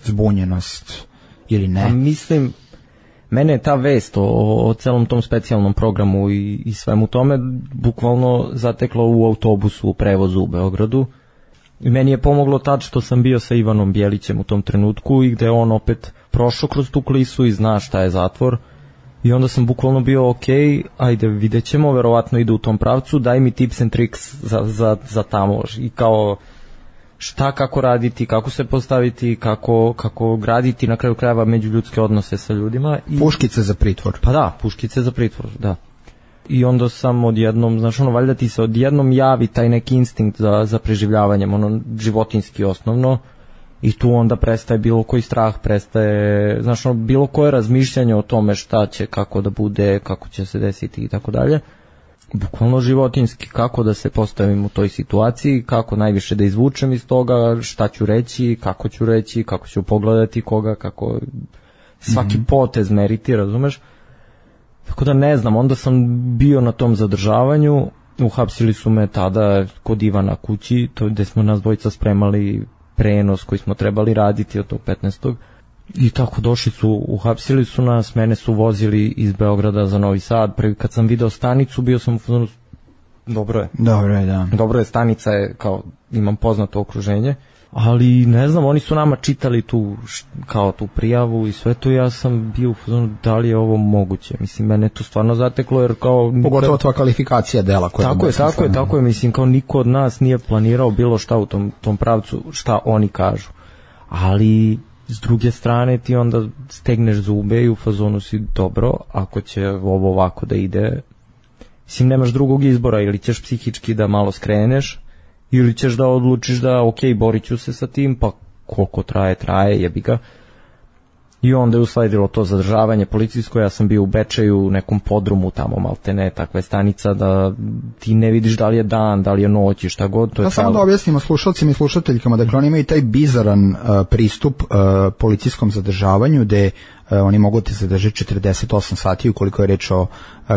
zbunjenost ili ne? Mislim, mene je ta vest o celom tom specijalnom programu i svemu tome bukvalno zateklo u autobusu u prevozu u Beogradu. I meni je pomoglo tad što sam bio sa Ivanom Bjelićem u tom trenutku i gde on opet prošao kroz tu klisu i zna šta je zatvor. I onda sam bukvalno bio ajde vidjet ćemo, verovatno ide u tom pravcu, daj mi tips and tricks za tamo i kao šta, kako raditi, kako se postaviti, kako graditi na kraju krajeva međuljudske odnose sa ljudima. Puškice za pritvor. Pa da, puškice za pritvor, da. I onda sam odjednom, valjda ti se odjednom javi taj neki instinkt za preživljavanjem, životinski osnovno, i tu onda prestaje bilo koji strah, prestaje, bilo koje razmišljanje o tome šta će, kako da bude, kako će se desiti i tako dalje. Bukvalno životinski, kako da se postavim u toj situaciji, kako najviše da izvučem iz toga, šta ću reći, kako ću pogledati koga, kako svaki potez meriti, razumeš? Tako da ne znam, onda sam bio na tom zadržavanju, uhapsili su me tada kod Ivana kući, to gde smo nas dvojica spremali prenos koji smo trebali raditi od tog 15. I tako došli su, uhapsili su nas, mene su vozili iz Beograda za Novi Sad. Prvi kad sam video stanicu, bio sam dobro je. Da. Dobro je, stanica je, kao, imam poznato okruženje, ali ne znam, oni su nama čitali kao tu prijavu i sve to, ja sam bio u fazonu da li je ovo moguće, mislim, mene to stvarno zateklo, jer kao... Pogotovo tvoja kvalifikacija dela koja je... Tako je, mislim, kao niko od nas nije planirao bilo šta u tom pravcu, šta oni kažu, ali s druge strane ti onda stegneš zube i u fazonu si dobro, ako će ovo ovako da ide, mislim, nemaš drugog izbora, ili ćeš psihički da malo skreneš, ili ćeš da odlučiš da ok, borit ću se sa tim, pa koliko traje, jebi ga. I onda je usledilo to zadržavanje policijsko, ja sam bio u Bečeju, u nekom podrumu tamo, maltene, takva je stanica da ti ne vidiš da li je dan, da li je noć i šta god. To je samo da objasnimo slušalcima i slušateljkama, dakle oni imaju taj bizaran pristup policijskom zadržavanju, gde oni mogu te zadržati 48 sati ukoliko je reč o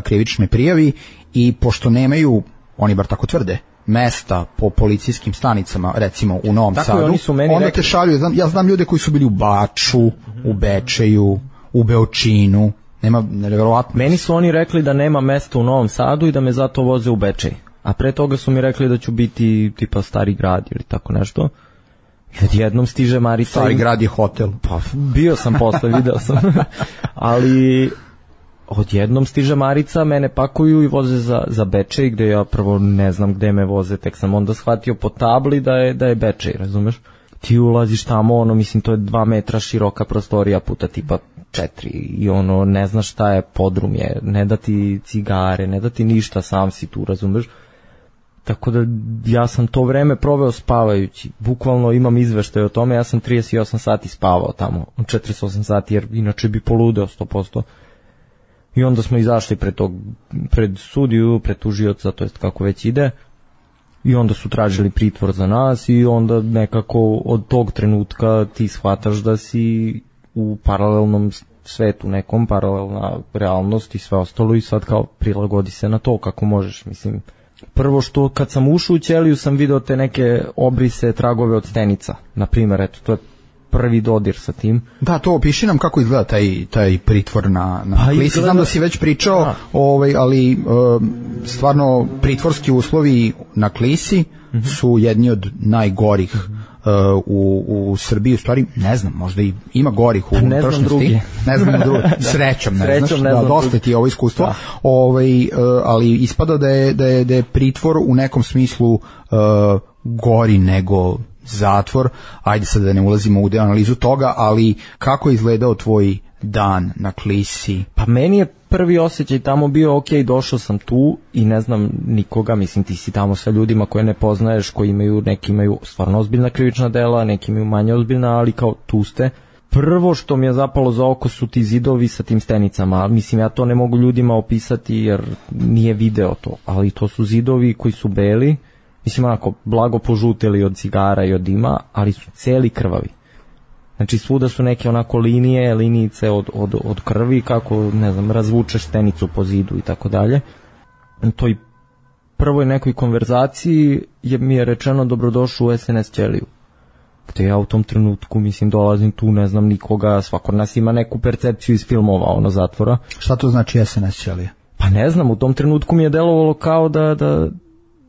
krivičnoj prijavi, i pošto nemaju, oni bar tako tvrde, mesta po policijskim stanicama, recimo u Novom Sadu, onda rekli, te šalju, ja znam ljude koji su bili u Baču, u Bečeju, u Beočinu, nema, nevjerovatno. Meni su oni rekli da nema mesta u Novom Sadu i da me zato voze u Bečej, a pre toga su mi rekli da ću biti tipa Stari Grad ili tako nešto. I odjednom stiže Marica... Stari Grad je hotel. Pa, bio sam posle, video sam. Ali... Odjednom stiže Marica, mene pakuju i voze za Bečej, gde ja prvo ne znam gde me voze, tek sam onda shvatio po tabli da je Bečej, razumeš? Ti ulaziš tamo, mislim, to je 2 metra široka prostorija puta tipa 4 i ne znaš šta je, podrum je, ne da ti cigare, ne da ti ništa, sam si tu, razumeš? Tako da ja sam to vreme proveo spavajući, bukvalno imam izveštaj o tome, ja sam 38 sati spavao tamo, 48 sati, jer inače bi poludeo 100%. I onda smo izašli pred sudiju, pred tužioca, to jest kako već ide, i onda su tražili pritvor za nas i onda nekako od tog trenutka ti shvataš da si u paralelnom svetu, nekom paralelna realnost i sve ostalo, i sad kao prilagodi se na to kako možeš, mislim. Prvo što kad sam ušao u ćeliju sam video te neke obrise, tragove od stenica, na primjer, eto, to je prvi dodir sa tim. Da, to opiši nam kako izgleda taj pritvor na klisi. Znam da si već pričao, ali stvarno pritvorski uslovi na klisi su jedni od najgorih u Srbiji, u stvari ne znam, možda i ima gorih u unutrašnjosti. Ne znam drugi. Srećom ne znaš, da, dosta ti je ovo iskustvo. Ali ispada da je pritvor u nekom smislu gori nego zatvor. Ajde sad da ne ulazimo u analizu toga, ali kako je izgledao tvoj dan na klisi? Pa meni je prvi osjećaj tamo bio, ok, došao sam tu i ne znam nikoga, mislim ti si tamo sa ljudima koje ne poznaješ, koji neki imaju stvarno ozbiljna krivična dela, neki imaju manje ozbiljna, ali kao tu ste. Prvo što mi je zapalo za oko su ti zidovi sa tim stenicama, mislim ja to ne mogu ljudima opisati jer nije video to, ali to su zidovi koji su beli, mislim onako blago požuteli od cigara i od dima, ali su celi krvavi. Znači svuda su neke onako linijice od krvi, kako, ne znam, razvučeš stenicu po zidu i tako dalje. U toj prvoj nekoj konverzaciji mi je rečeno dobrodošao u SNS ćeliju. Gde ja u tom trenutku, mislim, dolazim tu, ne znam nikoga, svako nas ima neku percepciju iz filmova, zatvora. Šta to znači SNS ćelija? Pa ne znam, u tom trenutku mi je delovalo kao da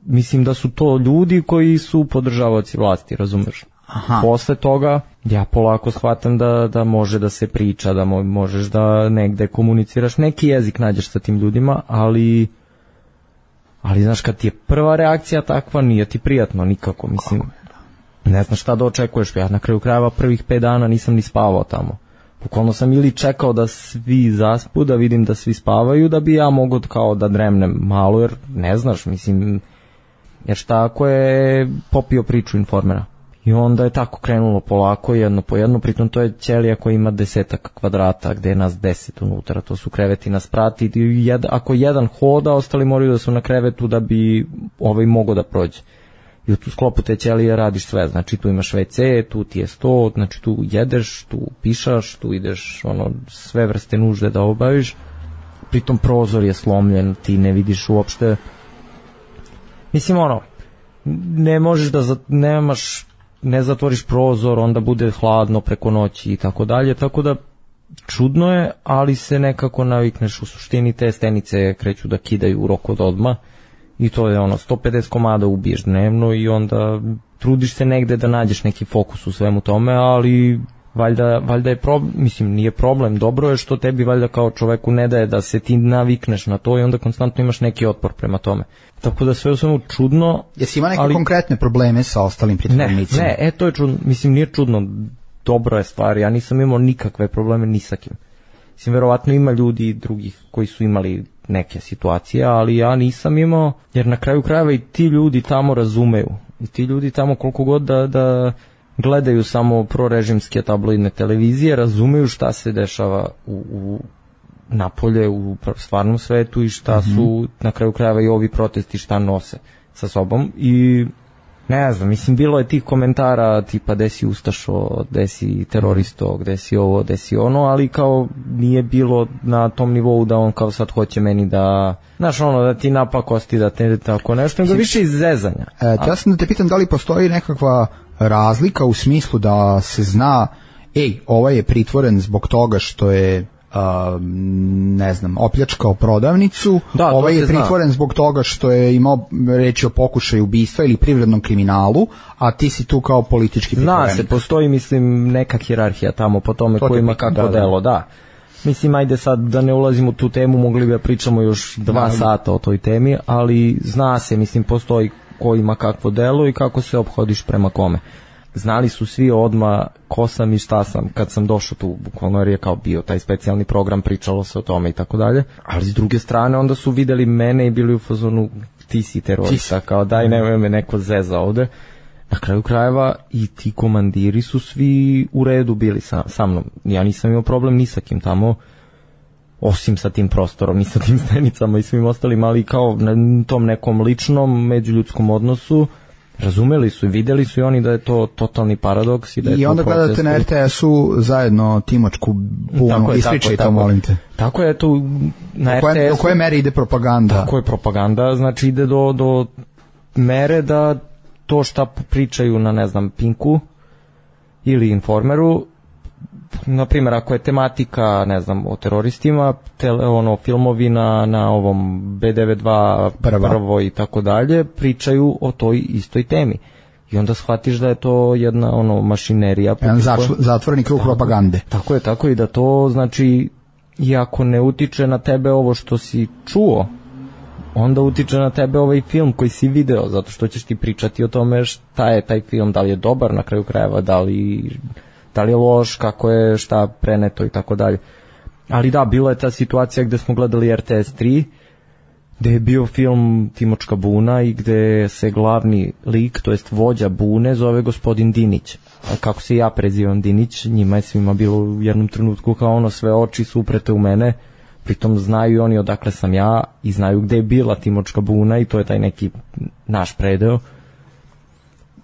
mislim da su to ljudi koji su podržavaoci vlasti, razumeš? Aha. Posle toga ja polako shvatam da može da se priča, da možeš da negde komuniciraš, neki jezik nađeš sa tim ljudima, ali znaš, kad ti je prva reakcija takva, nije ti prijatno nikako, mislim, ne znaš šta da očekuješ. Ja na kraju krajeva prvih 5 dana nisam ni spavao tamo. Bukvalno sam ili čekao da svi zaspu, da vidim da svi spavaju, da bi ja mogao kao da dremnem malo, jer ne znaš, mislim, jer šta ako je popio priču Informera. I onda je tako krenulo polako, jedno po jedno, pritom to je ćelija koja ima 10 kvadrata, gde je nas 10 unutra, to su kreveti na sprati, i ako jedan hoda, ostali moraju da su na krevetu da bi mogao da prođe. I u tu sklopu te ćelije radiš sve, znači tu imaš WC, tu ti je sto, znači tu jedeš, tu pišaš, tu ideš sve vrste nužde da obaviš, pritom prozor je slomljen, ti ne vidiš uopšte, mislim ne možeš da ne zatvoriš prozor, onda bude hladno preko noći i tako dalje, tako da čudno je, ali se nekako navikneš. U suštini te stenice kreću da kidaju u roku od odmah I to je 150 komada ubiješ dnevno i onda trudiš se negde da nađeš neki fokus u svemu tome, ali valjda je problem, mislim nije problem, dobro je što tebi valjda kao čoveku ne daje da se ti navikneš na to i onda konstantno imaš neki otpor prema tome. Tako da sve u svemu čudno. Jesi ima neke konkretne probleme sa ostalim pritvornicima? Ne, to je čudno, mislim nije čudno, dobro je stvar, ja nisam imao nikakve probleme ni sa kim. Mislim, verovatno ima ljudi drugih koji su imali neke situacije, ali ja nisam imao, jer na kraju krajeva i ti ljudi tamo razumeju. I ti ljudi tamo koliko god da gledaju samo prorežimske tabloidne televizije, razumeju šta se dešava u napolje, u stvarnom svetu i šta su na kraju krajeva i ovi protesti šta nose sa sobom. I ne znam, mislim, bilo je tih komentara tipa gde si ustašo, gde si teroristo, gde si ovo, gde si ono, ali kao nije bilo na tom nivou da on kao sad hoće meni da, znaš, da ti napakosti, da te tako nešto, nego više iz zezanja. Ja sam da te pitam da li postoji nekakva razlika u smislu da se zna, ovaj je pritvoren zbog toga što je ne znam, opljačkao prodavnicu, ovaj je pritvoren zbog toga što je imao reći o pokušaju ubistva ili privrednom kriminalu, a ti si tu kao politički pritvorenik. Zna se, postoji, mislim, neka hijerarhija tamo po tome ko ima kako delo, da. Mislim, ajde sad da ne ulazimo u tu temu, mogli bi da pričamo još 2 sata o toj temi, ali zna se, mislim, postoji ko ima kakvo delo i kako se ophodiš prema kome. Znali su svi odmah ko sam i šta sam kad sam došao tu, bukvalno jer je kao bio taj specijalni program, pričalo se o tome i tako dalje, ali s druge strane onda su videli mene i bili u fazonu ti si terorista, kao daj nemoj me neko zeza ovde. Na kraju krajeva i ti komandiri su svi u redu bili sa mnom, ja nisam imao problem ni sa kim tamo, osim sa tim prostorom, ni sa tim stenicama i svim ostalim, ali kao na tom nekom ličnom međuljudskom odnosu razumeli su i videli su i oni da je to totalni paradoks i da je i to onda gledate na RTS-u zajedno Timočku bunu, ispričaj to, molim te. Tako je to na RTS-u. Do koje mere ide propaganda? Tako je propaganda, znači ide do mere da to šta pričaju na, ne znam, Pinku ili Informeru, na primjer, ako je tematika, ne znam, o teroristima, filmovi na ovom B92 prvo i tako dalje, pričaju o toj istoj temi. I onda shvatiš da je to jedna mašinerija. Jedan zatvoreni krug propagande. Tako je, i da to, znači, iako ne utiče na tebe ovo što si čuo, onda utiče na tebe ovaj film koji si video, zato što ćeš ti pričati o tome šta je taj film, da li je dobar na kraju krajeva, da li je loš, kako je šta preneto i tako dalje. Ali da, bila je ta situacija gde smo gledali RTS 3, gde je bio film Timočka buna i gde se glavni lik, to jest vođa bune, zove gospodin Dinić. A kako se ja prezivam Dinić, njima je svima bilo u jednom trenutku kao sve oči su uprete u mene, pritom znaju oni odakle sam ja i znaju gde je bila Timočka buna i to je taj neki naš predeo.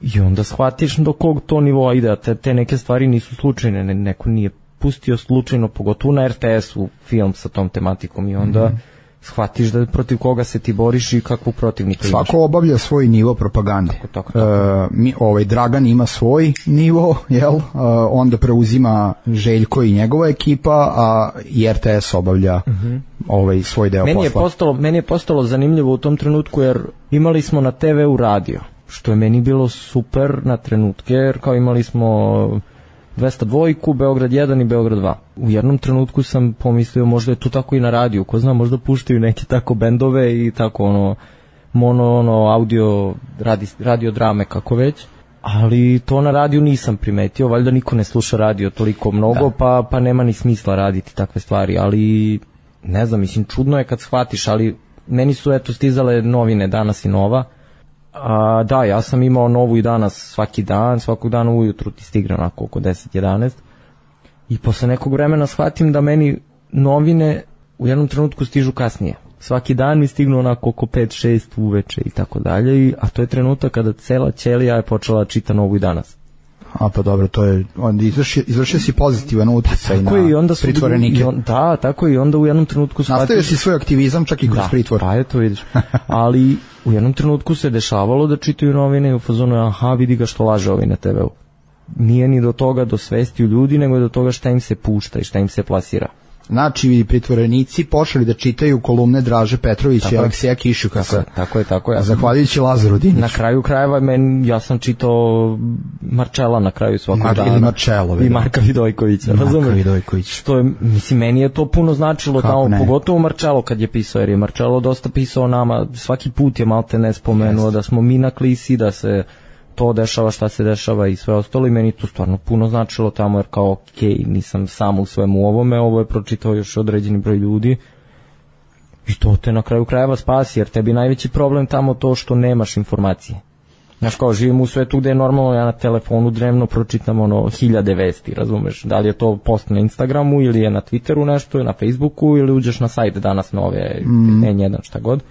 I onda shvatiš do kog to nivoa ide, te neke stvari nisu slučajne, neko nije pustio slučajno, pogotovo na RTS-u film sa tom tematikom i onda shvatiš da protiv koga se ti boriš i kakvu protivnika imaš. Svako obavlja svoj nivo propagande. Tako. Dragan ima svoj nivo, onda preuzima Željko i njegova ekipa, a i RTS obavlja svoj deo posla. Meni je postalo zanimljivo u tom trenutku jer imali smo na TV-u radio, što je meni bilo super na trenutke, jer kao imali smo 202, Beograd 1 i Beograd 2. U jednom trenutku sam pomislio možda je to tako i na radiju, ko zna, možda puštaju neke tako bendove i tako radio drame kako već, ali to na radiju nisam primetio, valjda niko ne sluša radio toliko mnogo, pa nema ni smisla raditi takve stvari, ali ne znam, mislim, čudno je kad shvatiš, ali meni su stizale novine Danas i Nova. Da, ja sam imao Novu i Danas svakog dana ujutru ti stigne onako oko 10-11 i posle nekog vremena shvatim da meni novine u jednom trenutku stižu kasnije. Svaki dan mi stignu onako oko 5-6 uveče i tako dalje, a to je trenutak kada cela ćelija je počela čita Novu i Danas. A pa dobro, to je, onda izvršio si pozitivan utjecaj na pritvorenike. Da, tako i onda u jednom trenutku shvatio... Nastavio si svoj aktivizam čak i kroz pritvor. Pa eto vidiš. Ali u jednom trenutku se dešavalo da čitaju novine i u fazonu, vidi ga što laže ovi na TV-u. Nije ni do toga do svesti u ljudi, nego do toga šta im se pušta i šta im se plasira. Znači, pritvorenici počeli da čitaju kolumne Draže Petrovića i Aleksija Kišukasa. Tako je. Zahvaljujući Lazaru Diniću. Na kraju krajeva ja sam čitao Marčela na kraju svakog dana. Ili Marčelo. I Marka Vidojkovića. Marka Vidojković. Što je, mislim, meni je to puno značilo tamo, pogotovo Marčelo kad je pisao, jer je Marčelo dosta pisao nama, svaki put je malte ne spomenuo da smo mi na klisi, da se to dešava, šta se dešava i sve ostalo, i meni to stvarno puno značilo tamo, jer kao nisam sam u svemu ovome, ovo je pročitao još određeni broj ljudi i to te na kraju krajeva spasi, jer tebi najveći problem tamo to što nemaš informacije. Znaš, kao živim u svetu gde je normalno, ja na telefonu dnevno pročitam 1000 vesti, razumeš, da li je to post na Instagramu ili je na Twitteru nešto, na Facebooku ili uđeš na sajt Danas Nove, N1, šta god.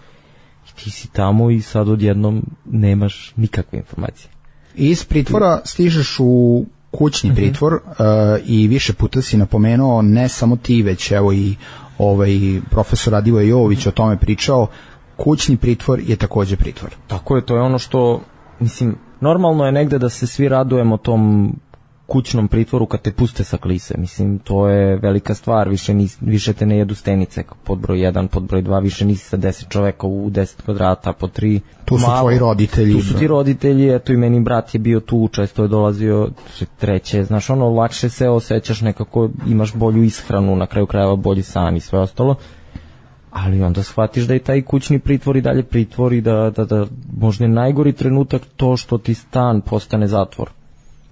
Ti si tamo i sad odjednom nemaš nikakve informacije. Iz pritvora stižeš u kućni pritvor i više puta si napomenuo, ne samo ti, već evo i profesor Radivoje Jovović o tome pričao, kućni pritvor je takođe pritvor. Tako je, to je ono što, mislim, normalno je negde da se svi radujemo tom kućnom pritvoru kad te puste sa klise, mislim, to je velika stvar, više te ne jedu stenice, pod broj 1, pod broj 2, više nisi sa 10 čoveka u 10 kvadrata, po 3. Tu su tvoji roditelji. Tu su ti roditelji, eto i meni brat je bio tu, često je dolazio, treće, znaš, lakše se osjećaš nekako, imaš bolju ishranu, na kraju krajeva bolji san i sve ostalo, ali onda shvatiš da je taj kućni pritvor i dalje pritvor i da možda je najgori trenutak to što ti stan postane zatvor.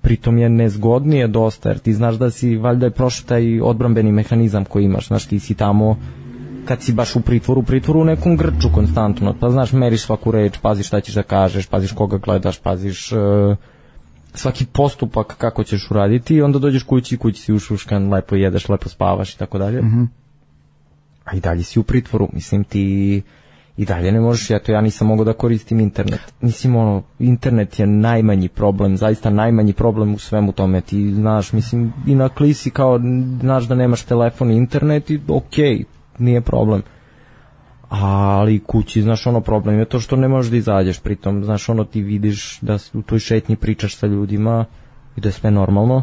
Pritom je nezgodnije dosta, jer ti znaš da si, valjda je prošao taj odbrambeni mehanizam koji imaš, znaš, ti si tamo, kad si baš u pritvoru u nekom grču konstantno, pa znaš, meriš svaku reč, paziš šta ćeš da kažeš, paziš koga gledaš, paziš svaki postupak kako ćeš uraditi i onda dođeš kući si ušuškan, lepo jedeš, lepo spavaš i tako dalje. A i dalje si u pritvoru, mislim, ti i dalje ne možeš, ja nisam mogao da koristim internet. Mislim, internet je najmanji problem, zaista najmanji problem u svemu tome. Ti znaš, mislim, i na klisi kao, znaš da nemaš telefon i internet i okej, nije problem. Ali kući, znaš, problem je to što ne možeš da izađeš, pritom, znaš, ti vidiš da u toj šetnji pričaš sa ljudima i da je sve normalno.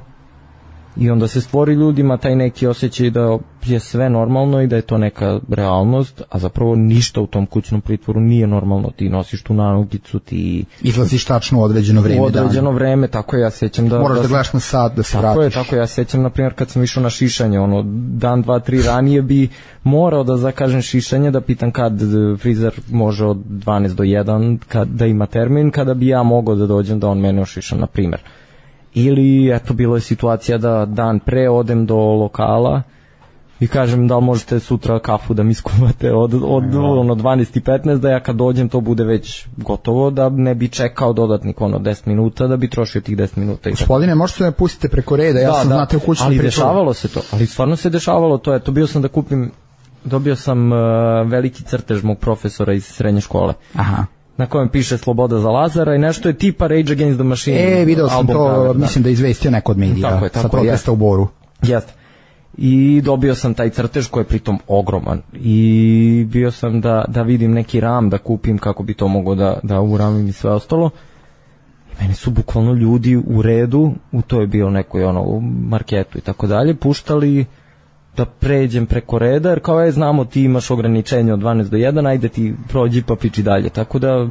I onda se stvori ljudima taj neki osjećaj da je sve normalno i da je to neka realnost, a zapravo ništa u tom kućnom pritvoru nije normalno. Ti nosiš tu nanogicu, ti izlaziš tačno u određeno vreme. U određeno vreme, tako ja sećam da... Moraš da gledaš na sat, da se vratiš. Tako ja sećam, na primjer, kad sam išao na šišanje, dan, 2, 3 ranije bi morao da zakažem šišanje, da pitam kad frizer može od 12 do 1, da ima termin, kada bi ja mogao da dođem da on mene ošiša, na primjer. Ili, eto, bilo je situacija da dan pre odem do lokala i kažem da li možete sutra kafu da mi skuvate od 12:15, da ja kad dođem to bude već gotovo, da ne bi čekao dodatnik 10 minuta, da bi trošio tih 10 minuta. Gospodine, možete me pustite preko reda, ja sam znate u kućnom pritvoru. Ali dešavalo se to, ali stvarno se dešavalo to, eto, dobio sam veliki crtež mog profesora iz srednje škole. Aha. Na kojem piše Sloboda za Lazara i nešto je tipa Rage Against the Machine. Video sam to, mislim da je izvestio neko od medija sa protesta u Boru. Jeste. I dobio sam taj crtež koji je pritom ogroman. I bio sam da vidim neki ram da kupim kako bi to mogao da uramim i sve ostalo. I meni su bukvalno ljudi u redu, to je bio nekoj u marketu i tako dalje, puštali da pređem preko reda, jer kao znamo ti imaš ograničenje od 12 do 1, ajde ti prođi pa piči dalje, tako da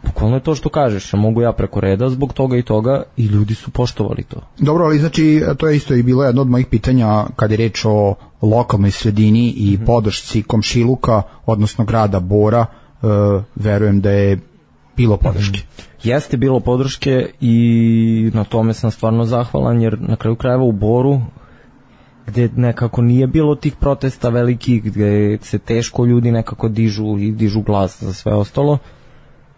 bukvalno je to što kažeš, mogu ja preko reda zbog toga i toga i ljudi su poštovali to. Dobro, ali znači to je isto i bilo jedno od mojih pitanja kad je reč o lokalnoj sredini i podršci komšiluka, odnosno grada Bora, verujem da je bilo podrške. Jeste bilo podrške i na tome sam stvarno zahvalan, jer na kraju krajeva u Boru, gde nekako nije bilo tih protesta velikih, gde se teško ljudi nekako dižu glas za sve ostalo,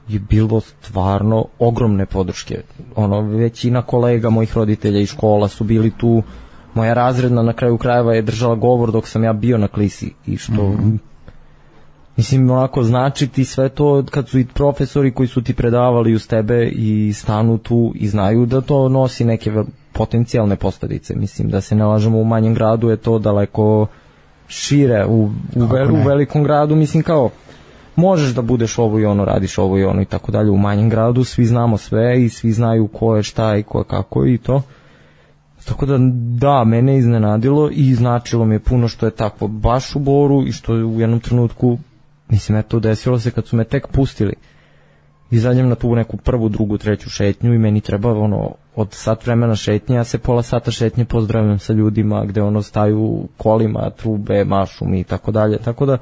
je bilo stvarno ogromne podrške. Većina kolega mojih roditelja iz škola su bili tu, moja razredna na kraju krajeva je držala govor dok sam ja bio na klisi i što mislim, znači ti sve to kad su i profesori koji su ti predavali uz tebe i stanu tu i znaju da to nosi neke potencijalne posljedice. Mislim, da se ne lažemo, u manjem gradu je to daleko šire, u velikom gradu, mislim, kao možeš da budeš ovo i ono, radiš ovo i ono i tako dalje. U manjem gradu svi znamo sve i svi znaju ko je šta i ko je kako i to. Tako da, mene je iznenadilo i značilo mi je puno što je takvo baš u Boru i što je u jednom trenutku, mislim, eto, desilo se kad su me tek pustili. Izađem na tu neku prvu, drugu, treću šetnju i meni treba od sat vremena šetnje, ja se pola sata šetnje pozdravljam sa ljudima gde staju kolima, trube, mašu mi i tako dalje. Tako da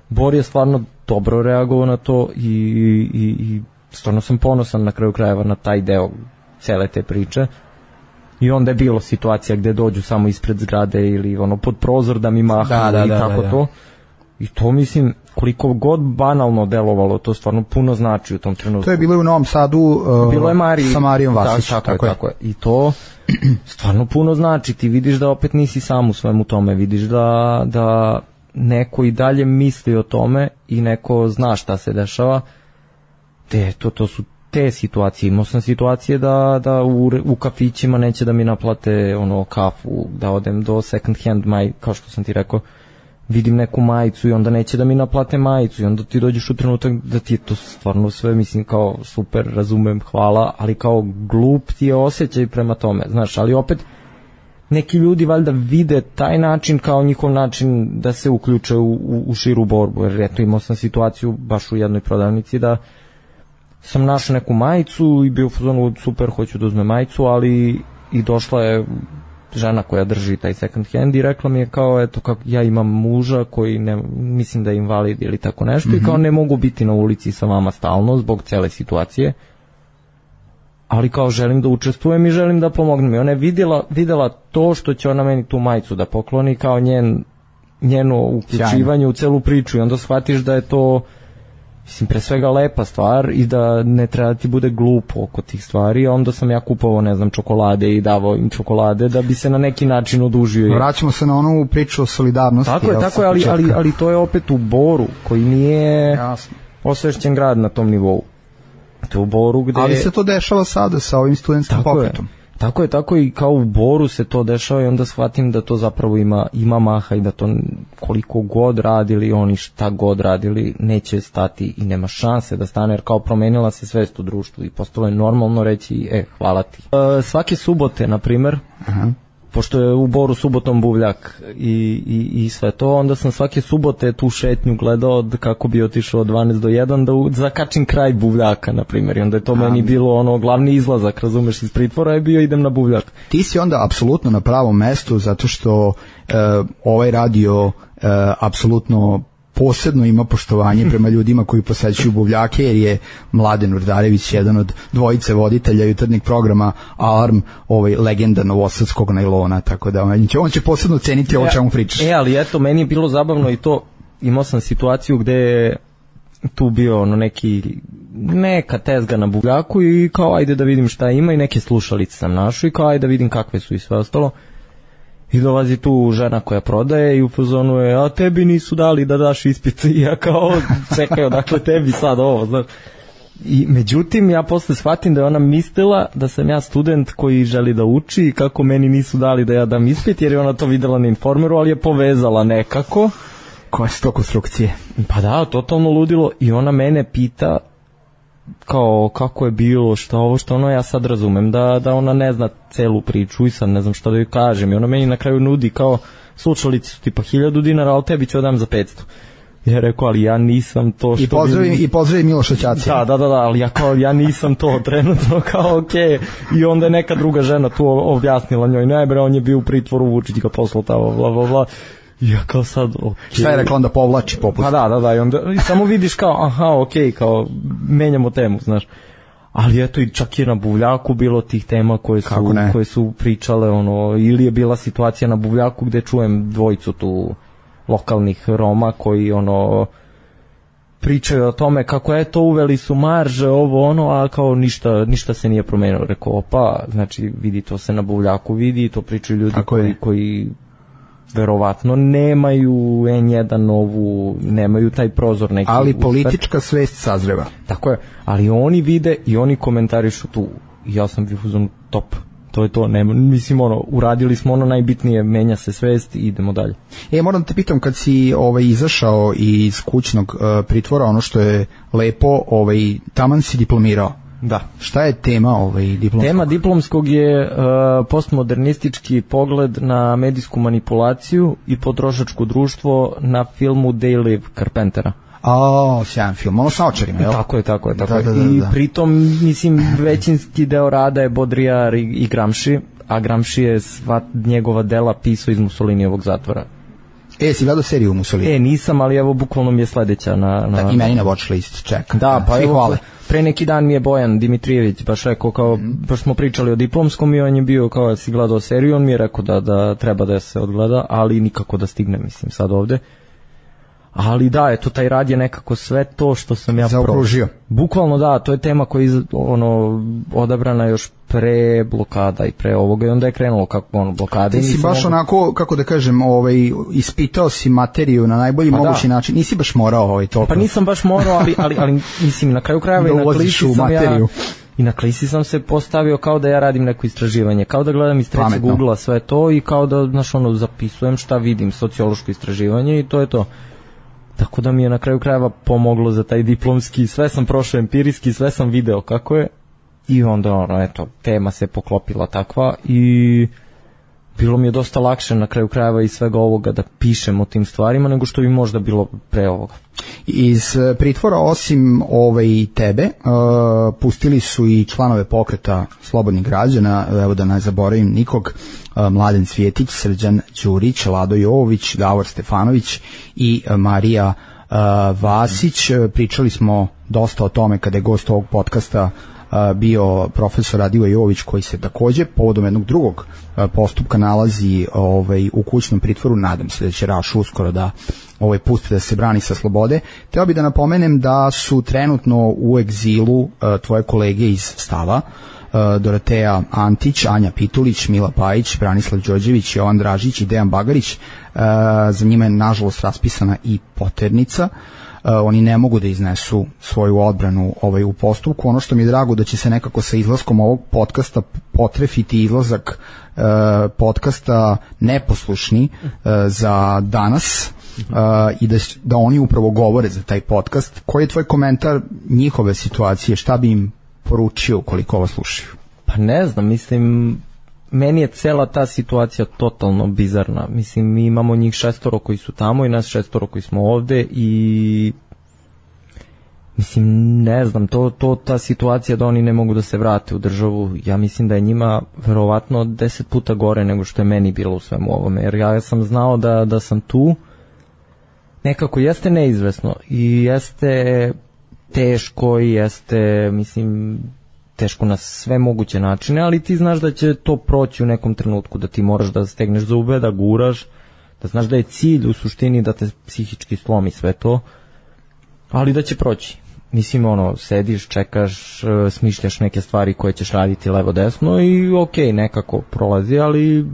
Bor je stvarno dobro reagovao na to i stvarno sam ponosan na kraju krajeva na taj deo cele te priče. I onda je bilo situacija gde dođu samo ispred zgrade ili pod prozor da mi mahaju i tako to. I to, mislim, koliko god banalno delovalo, to stvarno puno znači u tom trenutku. To je bilo u Novom Sadu bilo je sa Marijom Vasić. Tako je. I to stvarno puno znači. Ti vidiš da opet nisi sam u svemu tome. Vidiš da neko i dalje misli o tome i neko zna šta se dešava. To su te situacije. Imao sam situacije da u kafićima neće da mi naplate kafu, da odem do second hand kao što sam ti rekao, vidim neku majicu i onda neće da mi naplate majicu i onda ti dođeš u trenutak da ti je to stvarno sve, mislim, kao super, razumem, hvala, ali kao glup ti je osjećaj prema tome, znaš, ali opet neki ljudi valjda vide taj način kao njihov način da se uključe u širu borbu, jer eto imao sam situaciju baš u jednoj prodavnici da sam našao neku majicu i bio u fazonu super, hoću da uzmem majicu, ali i došla je žena koja drži taj second hand i rekla mi je kao, eto, kako ja imam muža koji mislim da je invalid ili tako nešto i kao ne mogu biti na ulici sa vama stalno zbog cele situacije, ali kao želim da učestvujem i želim da pomognem. I ona je videla to što će ona meni tu majicu da pokloni kao njeno uključivanje u celu priču i onda shvatiš da je to, mislim, pre svega lepa stvar i da ne treba ti bude glupo oko tih stvari, a onda sam ja kupovao, ne znam, čokolade i davao im čokolade da bi se na neki način odužio. Vraćamo se na onu priču o solidarnosti. Tako je, ali to je opet u Boru, koji nije osvešćen grad na tom nivou. To je u Boru gde... Ali se to dešava sada sa ovim studentskim pokretom. Tako i kao u Boru se to dešava i onda shvatim da to zapravo ima maha i da to koliko god radili oni, šta god radili, neće stati i nema šanse da stane, jer kao promenila se svest u društvu i postalo je normalno reći hvala ti. Svake subote, na primer, pošto je u Boru subotom buvljak i sve to, onda sam svake subote tu šetnju gledao kako bi otišao od 12 do 1 da zakačim kraj buvljaka, na primjer, i onda je to meni bilo glavni izlazak, razumeš, iz pritvora je bio idem na buvljak. Ti si onda apsolutno na pravom mestu zato što ovaj radio apsolutno posebno ima poštovanje prema ljudima koji posećuju buvljake, jer je Mladen Urdarević jedan od dvojice voditelja jutarnjeg programa Alarm, legenda novosadskog najlona, tako da on će posebno ceniti ovo čemu pričaš. Ali eto, meni je bilo zabavno i to, imao sam situaciju gde je tu bio neka tezga na buvljaku i kao ajde da vidim šta ima i neke slušalice sam našao i kao ajde da vidim kakve su i sve ostalo. I dolazi tu žena koja prodaje i u fazonu je, a tebi nisu dali da daš ispit. I ja kao, čekaj, odakle tebi sad ovo, znaš. I međutim, ja posle shvatim da je ona mislila da sam ja student koji želi da uči i kako meni nisu dali da ja dam ispit, jer je ona to videla na Informeru, ali je povezala nekako. Koje su to konstrukcije? Pa da, totalno ludilo. I ona mene pita kao kako je bilo, što ja sad razumem da ona ne zna celu priču i sad ne znam šta da joj kažem i ona meni na kraju nudi kao slušalice su tipa 1000 dinara, ali tebi ću odam za 500. Ja rekao, ali ja nisam to što... I pozdravi Miloša Ćacija. Da, ali ja nisam to trenutno, kao okej. I onda je neka druga žena tu objasnila njoj, najbre, on je bio u pritvoru, Vučić ga poslao tamo, bla, bla, bla. Ja kao sad, Šta je rekla onda povlači popust? Pa da, i onda samo vidiš kao, kao menjamo temu, znaš. Ali eto, i čak je na buvljaku bilo tih tema koje su pričale, ili je bila situacija na buvljaku gde čujem dvojicu tu lokalnih Roma koji pričaju o tome kako eto uveli su marže, a kao ništa se nije promenilo. Rekao, znači vidi, to se na buvljaku vidi, to pričaju ljudi koji verovatno nemaju N1 novu, nemaju taj prozor neki. Ali politička svest sazreva. Tako je, ali oni vide i oni komentarišu tu. Ja sam bifuzon top. To je to, mislim, uradili smo najbitnije, menja se svest i idemo dalje. Moram te pitam, kad si izašao iz kućnog pritvora, ono što je lepo, taman si diplomirao. Da. Šta je tema diplomskog? Tema diplomskog je postmodernistički pogled na medijsku manipulaciju i potrošačko društvo na filmu They Live Carpentera. Sjajan film, ono sa očarima, jel? Tako je. Da. I pritom, mislim, većinski deo rada je Baudrillard i Gramsci, a Gramsci je sva njegova dela pisao iz Mussolinijevog zatvora. Si gledao seriju Mussolini? Nisam, ali evo, bukvalno mi je sledeća na... I meni na watch list, čekam. Da, pa evo, hvale. Pre neki dan mi je Bojan Dimitrijević baš rekao, kao, baš smo pričali o diplomskom i on je bio, kao da si gledao seriju, on mi je rekao da treba da se odgleda, ali nikako da stigne, mislim, sad ovde. Ali da, eto, taj rad je nekako sve to što sam ja zaokružio. Bukvalno da, to je tema koja je odabrana još pre blokada i pre ovoga i onda je krenulo kako blokade. Ti si baš onako, kako da kažem, ispitao si materiju na najbolji mogući način. Nisi baš morao toliko. Pa nisam baš morao, ali mislim, na kraju krajeva i na klisi sam materiju. I na klisi sam se postavio kao da ja radim neko istraživanje, kao da gledam iz trećeg ugla sve to i kao da, zapisujem šta vidim, sociološko istraživanje i to je to. Tako da mi je na kraju krajeva pomoglo za taj diplomski, sve sam prošao empirijski, sve sam video kako je i onda tema se poklopila takva i bilo mi je dosta lakše na kraju krajeva i svega ovoga da pišem o tim stvarima nego što bi možda bilo pre ovoga. Iz pritvora osim tebe pustili su i članove pokreta Slobodnih građana, evo da ne zaboravim nikog, Mladen Cvjetić, Srđan Đurić, Lado Jovović, Davor Stefanović i Marija Vasić. Pričali smo dosta o tome kada je gost ovog podcasta bio profesor Radivoje Jovović, koji se takođe povodom jednog drugog postupka nalazi u kućnom pritvoru. Nadam se da će Raš uskoro da pusti da se brani sa slobode. Teo bi da napomenem da su trenutno u egzilu tvoje kolege iz Stava, Doroteja Antić, Anja Pitulić, Mila Pajić, Branislav Đorđević, Jovan Dražić i Dejan Bagarić. Za njima je nažalost raspisana i poternica. Oni ne mogu da iznesu svoju odbranu u postupku. Ono što mi je drago da će se nekako sa izlaskom ovog podcasta potrefiti izlazak podcasta Neposlušni za danas i da oni upravo govore za taj podcast. Koji je tvoj komentar njihove situacije? Šta bi im poručio ukoliko ovo slušaju? Pa ne znam, mislim, meni je cela ta situacija totalno bizarna. Mislim, mi imamo njih 6 koji su tamo i nas 6 koji smo ovde i mislim, ne znam, ta situacija da oni ne mogu da se vrate u državu, ja mislim da je njima verovatno 10 puta gore nego što je meni bilo u svemu ovome, jer ja sam znao da sam tu, nekako jeste neizvesno i jeste teško i jeste, mislim, teško na sve moguće načine, ali ti znaš da će to proći u nekom trenutku, da ti moraš da stegneš zube, da guraš, da znaš da je cilj u suštini da te psihički slomi sve to, ali da će proći. Mislim, sediš, čekaš, smišljaš neke stvari koje ćeš raditi levo desno i okej, nekako prolazi, ali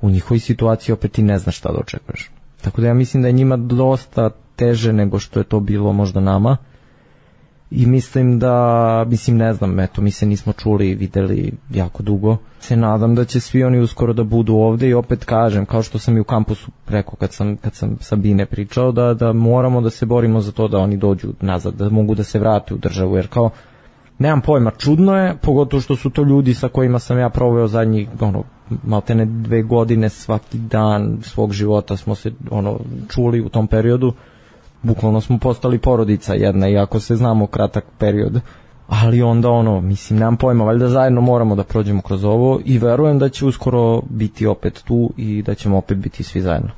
u njihovoj situaciji opet ti ne znaš šta da očekuješ. Tako da ja mislim da je njima dosta teže nego što je to bilo možda nama. I mislim da, ne znam, eto, mi se nismo čuli i videli jako dugo. Se nadam da će svi oni uskoro da budu ovde i opet kažem, kao što sam i u kampusu rekao kad sam Sabine pričao, da moramo da se borimo za to da oni dođu nazad, da mogu da se vrate u državu, jer kao, nemam pojma, čudno je, pogotovo što su to ljudi sa kojima sam ja proveo zadnjih, maltene 2 godine, svaki dan svog života smo se, čuli u tom periodu. Bukvalno smo postali porodica jedna, iako se znamo kratak period, ali onda mislim, nemam pojma, valjda zajedno moramo da prođemo kroz ovo i verujem da će uskoro biti opet tu i da ćemo opet biti svi zajedno.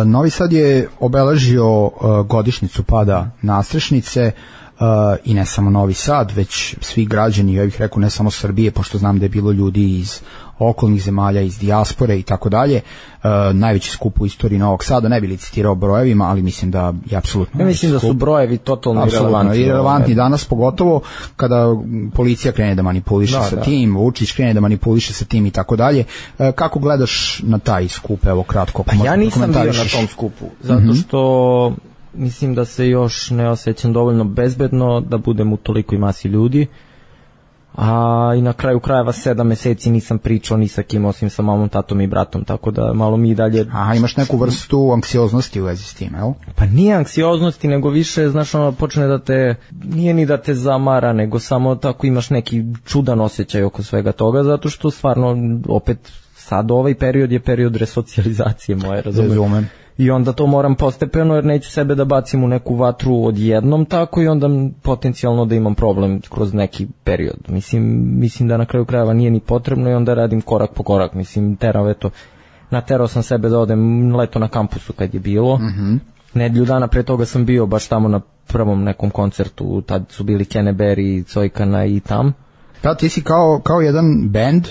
Novi Sad je obeležio godišnjicu pada Nastrešnice i ne samo Novi Sad, već svi građani, ja bih rekao ne samo Srbije, pošto znam da je bilo ljudi iz okolnih zemalja, iz dijaspore i tako dalje. Najveći skup u istoriji Novog Sada, ne bi licitirao brojevima, ali mislim da je apsolutno. Ja mislim da su brojevi totalno irelevantni danas, pogotovo kada policija krene da manipuliše sa tim, Vučić krene da manipuliše sa tim i tako dalje. Kako gledaš na taj skup, evo kratko? Pa ja nisam bio na tom skupu, zato što mislim da se još ne osjećam dovoljno bezbedno da budem u tolikoj masi ljudi, a i na kraju krajeva 7 meseci nisam pričao ni sa kim osim sa mamom, tatom i bratom, tako da malo mi dalje... A imaš neku vrstu anksioznosti u vezi s tim, jel? Pa nije anksioznosti, nego više, znaš, ono počne da te, nije ni da te zamara, nego samo tako imaš neki čudan osjećaj oko svega toga, zato što stvarno opet sad ovaj period je period resocijalizacije moje, razumem. I onda to moram postepeno, jer neću sebe da bacim u neku vatru odjednom tako i onda potencijalno da imam problem kroz neki period. Mislim da na kraju krajeva nije ni potrebno i onda radim korak po korak. Naterao sam sebe da odem leto na kampusu kad je bilo. Nedjelju dana pre toga sam bio baš tamo na prvom nekom koncertu, tad su bili Kenneberry, Cojkana i tam. Da, ti si kao jedan bend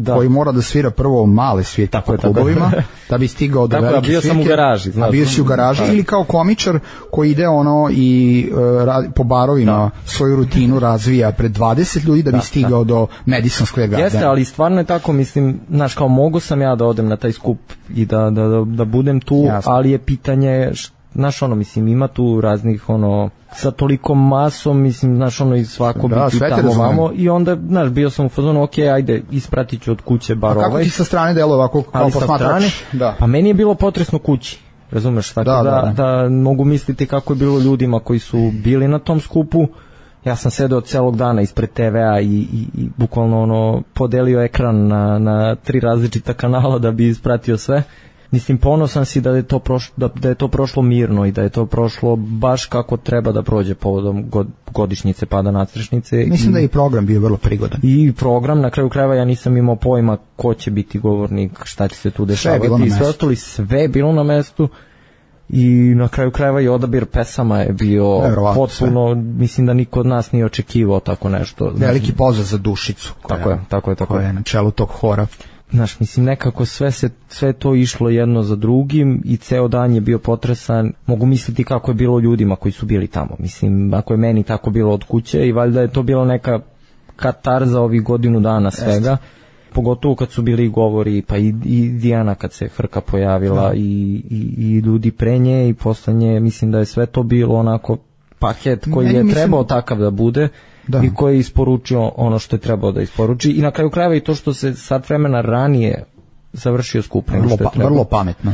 koji mora da svira prvo male svirke po klubovima, da bi stigao do velike svirke. Bio sam u garaži. A bio si u garaži ili kao komičar koji ide i po barovima svoju rutinu razvija pred 20 ljudi da bi stigao do Madison Square Garden. Jeste, ali stvarno je tako, znaš, kao mogu sam ja da odem na taj skup i da budem tu, ali je pitanje... Znaš, ima tu raznih, sa toliko masom, znaš, i svako biti tamo vamo i onda, znaš, bio sam u fazonu, ajde, ispratit ću od kuće bar ovaj. A kako ti sa strane delo ovako kao posmatrač? Pa meni je bilo potresno kući, razumeš, tako da mogu misliti kako je bilo ljudima koji su bili na tom skupu. Ja sam sedeo celog dana ispred TV-a i bukvalno podelio ekran na 3 različita kanala da bi ispratio sve. Ponosan si da je to prošlo mirno i da je to prošlo baš kako treba da prođe povodom godišnjice pada nadstrešnice. Mislim da je i program bio vrlo prigodan. I program, na kraju krajeva ja nisam imao pojma ko će biti govornik, šta će se tu dešavati. Sve je bilo na mestu i na kraju krajeva i odabir pesama je bio potpuno, mislim da niko od nas nije očekivao tako nešto. Veliki pozdrav za Dušicu. Tako je. Koja je na čelu tog hora. Znaš, nekako sve to išlo jedno za drugim i ceo dan je bio potresan. Mogu misliti kako je bilo ljudima koji su bili tamo. Ako je meni tako bilo od kuće i valjda je to bilo neka katarza ovih godinu dana svega. Pogotovo kad su bili govori, pa i Dijana kad se Hrka pojavila i ljudi pre nje i posle nje. Mislim da je sve to bilo onako paket koji je trebao takav da bude. I koji je isporučio ono što je trebao da isporuči i na kraju krajeva i to što se sat vremena ranije završio skup. Vrlo pametno.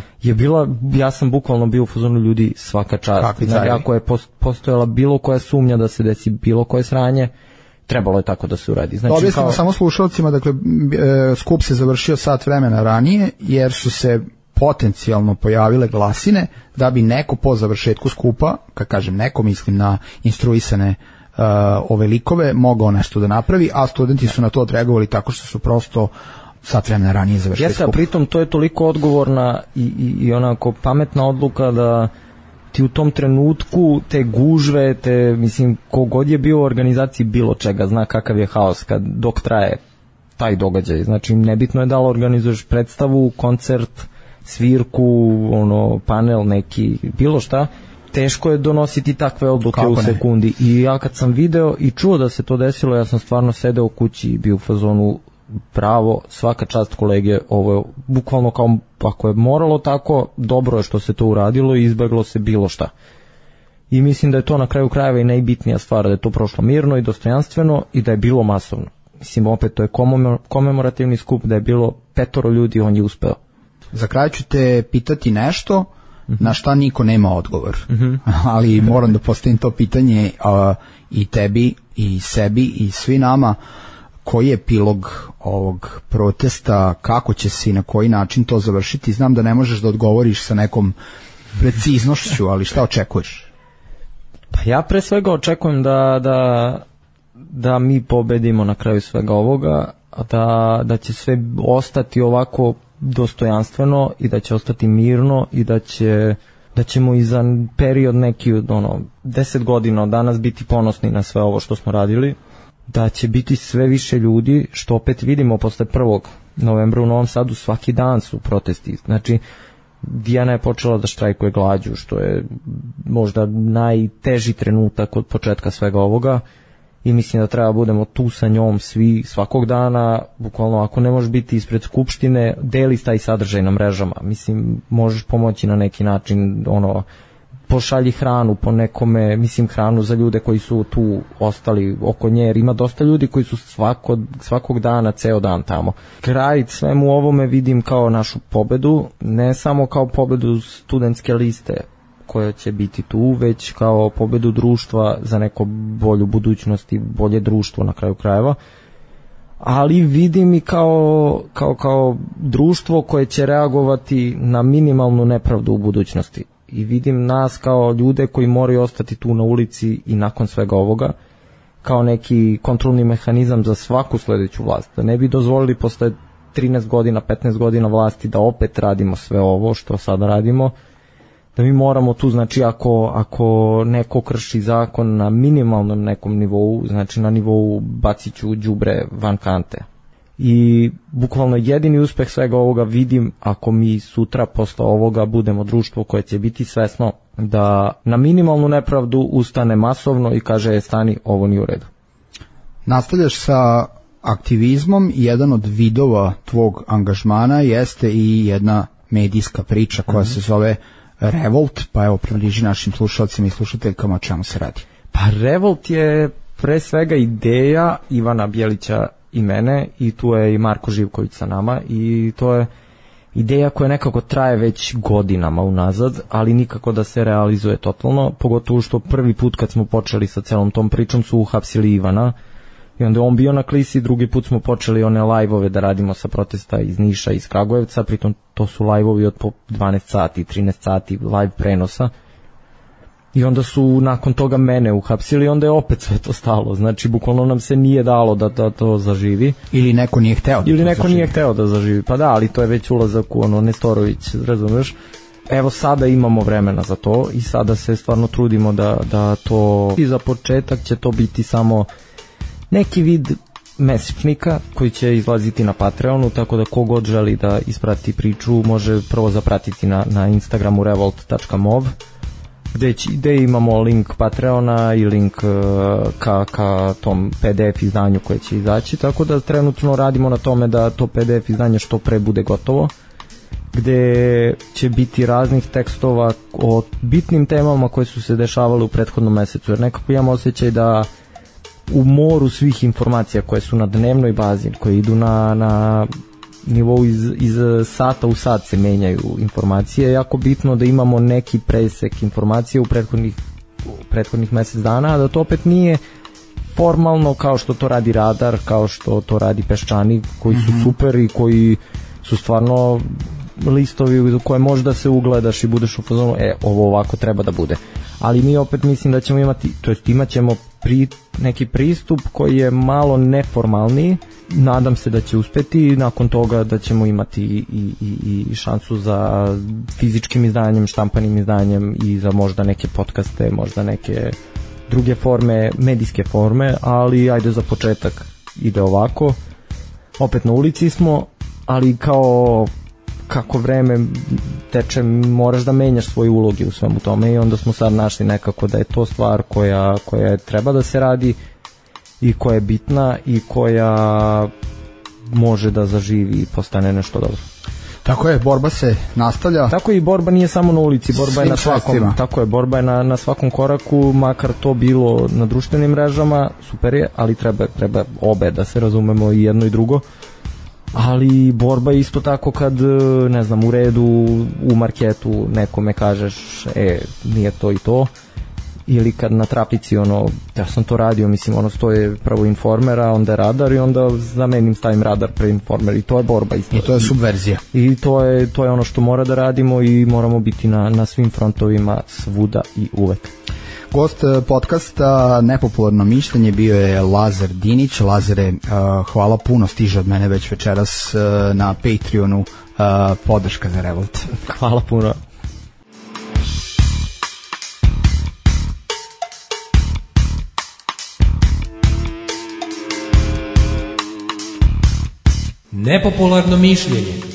Ja sam bukvalno bio u fazonu ljudi svaka čast. Ako je postojala bilo koja sumnja da se desi bilo koje sranje, trebalo je tako da se uradi. Objasnimo samo slušalcima, dakle skup se završio sat vremena ranije jer su se potencijalno pojavile glasine da bi neko po završetku skupa, kad kažem neko mislim na instruisane ove likove, mogao nešto da napravi, a studenti su na to odreagovali tako što su prosto sat vremena ranije završili skup. Pritom to je toliko odgovorna i onako pametna odluka da ti u tom trenutku te gužve, kogod je bio u organizaciji bilo čega, zna kakav je haos dok traje taj događaj. Znači, nebitno je da li organizuješ predstavu, koncert, svirku, panel neki, bilo šta, teško je donositi takve odluke u sekundi. I ja kad sam video i čuo da se to desilo, ja sam stvarno sedeo u kući i bio u fazonu bravo, svaka čast kolege, ovo je bukvalno kao, ako je moralo tako, dobro je što se to uradilo i izbeglo se bilo šta. I mislim da je to na kraju krajeva i najbitnija stvar, da je to prošlo mirno i dostojanstveno i da je bilo masovno. Opet to je komemorativni skup, da je bilo 5 ljudi, on je uspeo. Za kraj ću te pitati nešto na šta niko nema odgovor, ali moram da postavim to pitanje i tebi i sebi i svi nama. Koji je epilog ovog protesta, kako će se i na koji način to završiti? Znam da ne možeš da odgovoriš sa nekom preciznošću, ali šta očekuješ? Pa ja pre svega očekujem da mi pobedimo na kraju svega ovoga, da će sve ostati ovako dostojanstveno i da će ostati mirno i da ćemo i za period neki 10 godina od danas biti ponosni na sve ovo što smo radili, da će biti sve više ljudi, što opet vidimo posle 1. novembra u Novom Sadu, svaki dan su protesti. Znači, Dijana je počela da štrajkuje glađu, što je možda najteži trenutak od početka svega ovoga i mislim da treba budemo tu sa njom svi svakog dana, bukvalno ako ne možeš biti ispred skupštine, deli taj sadržaj na mrežama, mislim možeš pomoći na neki način, pošalji hranu po nekome, mislim hranu za ljude koji su tu ostali oko nje, jer ima dosta ljudi koji su svakog dana, ceo dan tamo. Kraj svemu ovome vidim kao našu pobedu, ne samo kao pobedu studentske liste koja će biti tu, već kao pobedu društva za neko bolju budućnost i bolje društvo na kraju krajeva. Ali vidim i kao društvo koje će reagovati na minimalnu nepravdu u budućnosti. I vidim nas kao ljude koji moraju ostati tu na ulici i nakon svega ovoga kao neki kontrolni mehanizam za svaku sledeću vlast. Da ne bi dozvolili posle 13 godina, 15 godina vlasti da opet radimo sve ovo što sada radimo, da mi moramo tu, znači ako neko krši zakon na minimalnom nekom nivou, znači na nivou baciću đubre van kante. I bukvalno jedini uspeh svega ovoga vidim ako mi sutra posle ovoga budemo društvo koje će biti svesno da na minimalnu nepravdu ustane masovno i kaže stani, ovo nije u redu. Nastavljaš sa aktivizmom i jedan od vidova tvog angažmana jeste i jedna medijska priča koja se zove Revolt, pa evo približi našim slušalcima i slušateljkama o čemu se radi. Pa Revolt je pre svega ideja Ivana Bjelića i mene, i tu je i Marko Živković sa nama, i to je ideja koja nekako traje već godinama unazad, ali nikako da se realizuje totalno, pogotovo što prvi put kad smo počeli sa celom tom pričom su uhapsili Ivana i onda on bio na klisi, drugi put smo počeli one live-ove da radimo sa protesta iz Niša i iz Kragujevca, pritom to su live-ovi od po 12 sati, 13 sati live prenosa. I onda su nakon toga mene uhapsili i onda je opet sve to stalo. Znači, bukvalno nam se nije dalo da to zaživi. Ili neko nije hteo da Ili neko nije hteo da zaživi. Pa da, ali to je već ulazak u Nestorović, razumeš? Evo sada imamo vremena za to i sada se stvarno trudimo da to... I za početak će to biti samo neki vid mesečnika koji će izlaziti na Patreonu, tako da kogod želi da isprati priču može prvo zapratiti na Instagramu revolt.mov, gde imamo link Patreona i link ka tom PDF izdanju koje će izaći, tako da trenutno radimo na tome da to PDF izdanje što pre bude gotovo, gde će biti raznih tekstova o bitnim temama koje su se dešavale u prethodnom mesecu, jer nekako imamo osjećaj da u moru svih informacija koje su na dnevnoj bazi, koje idu na nivou iz sata u sat se menjaju informacije, je jako bitno da imamo neki presek informacije u prethodnih mesec dana, a da to opet nije formalno kao što to radi Radar, kao što to radi Peščanik, koji su super i koji su stvarno listovi u koje možda se ugledaš i budeš u fazonu, ovo ovako treba da bude. Ali mi opet mislim da ćemo imati, to jest imat ćemo neki pristup koji je malo neformalniji, nadam se da će uspeti i nakon toga da ćemo imati i šansu za fizičkim izdanjem, štampanim izdanjem i za možda neke podcaste, možda neke druge forme, medijske forme, ali ajde za početak ide ovako. Opet na ulici smo, ali kako vreme teče, moraš da menjaš svoje uloge u svemu tome i onda smo sad našli nekako da je to stvar koja treba da se radi i koja je bitna i koja može da zaživi i postane nešto dobro. Tako je, borba se nastavlja. Tako i borba nije samo na ulici, borba je na svakom. Tako je, borba je na svakom koraku, makar to bilo na društvenim mrežama, super je, ali treba obe da se razumemo, i jedno i drugo. Ali borba je isto tako kad, ne znam, u redu u marketu nekome kažeš nije to i to, ili kad na trafici ja sam to radio, mislim stoje prvo Informera, onda je Radar i onda zamenim, stavim Radar pre Informer i to je borba isto. I to je subverzija. I to je ono što mora da radimo i moramo biti na svim frontovima svuda i uvek. Gost podcasta Nepopularno mišljenje bio je Lazar Dinić. Lazare, hvala puno, stiže od mene već večeras na Patreonu podrška za Revolt. Hvala puno. Nepopularno mišljenje.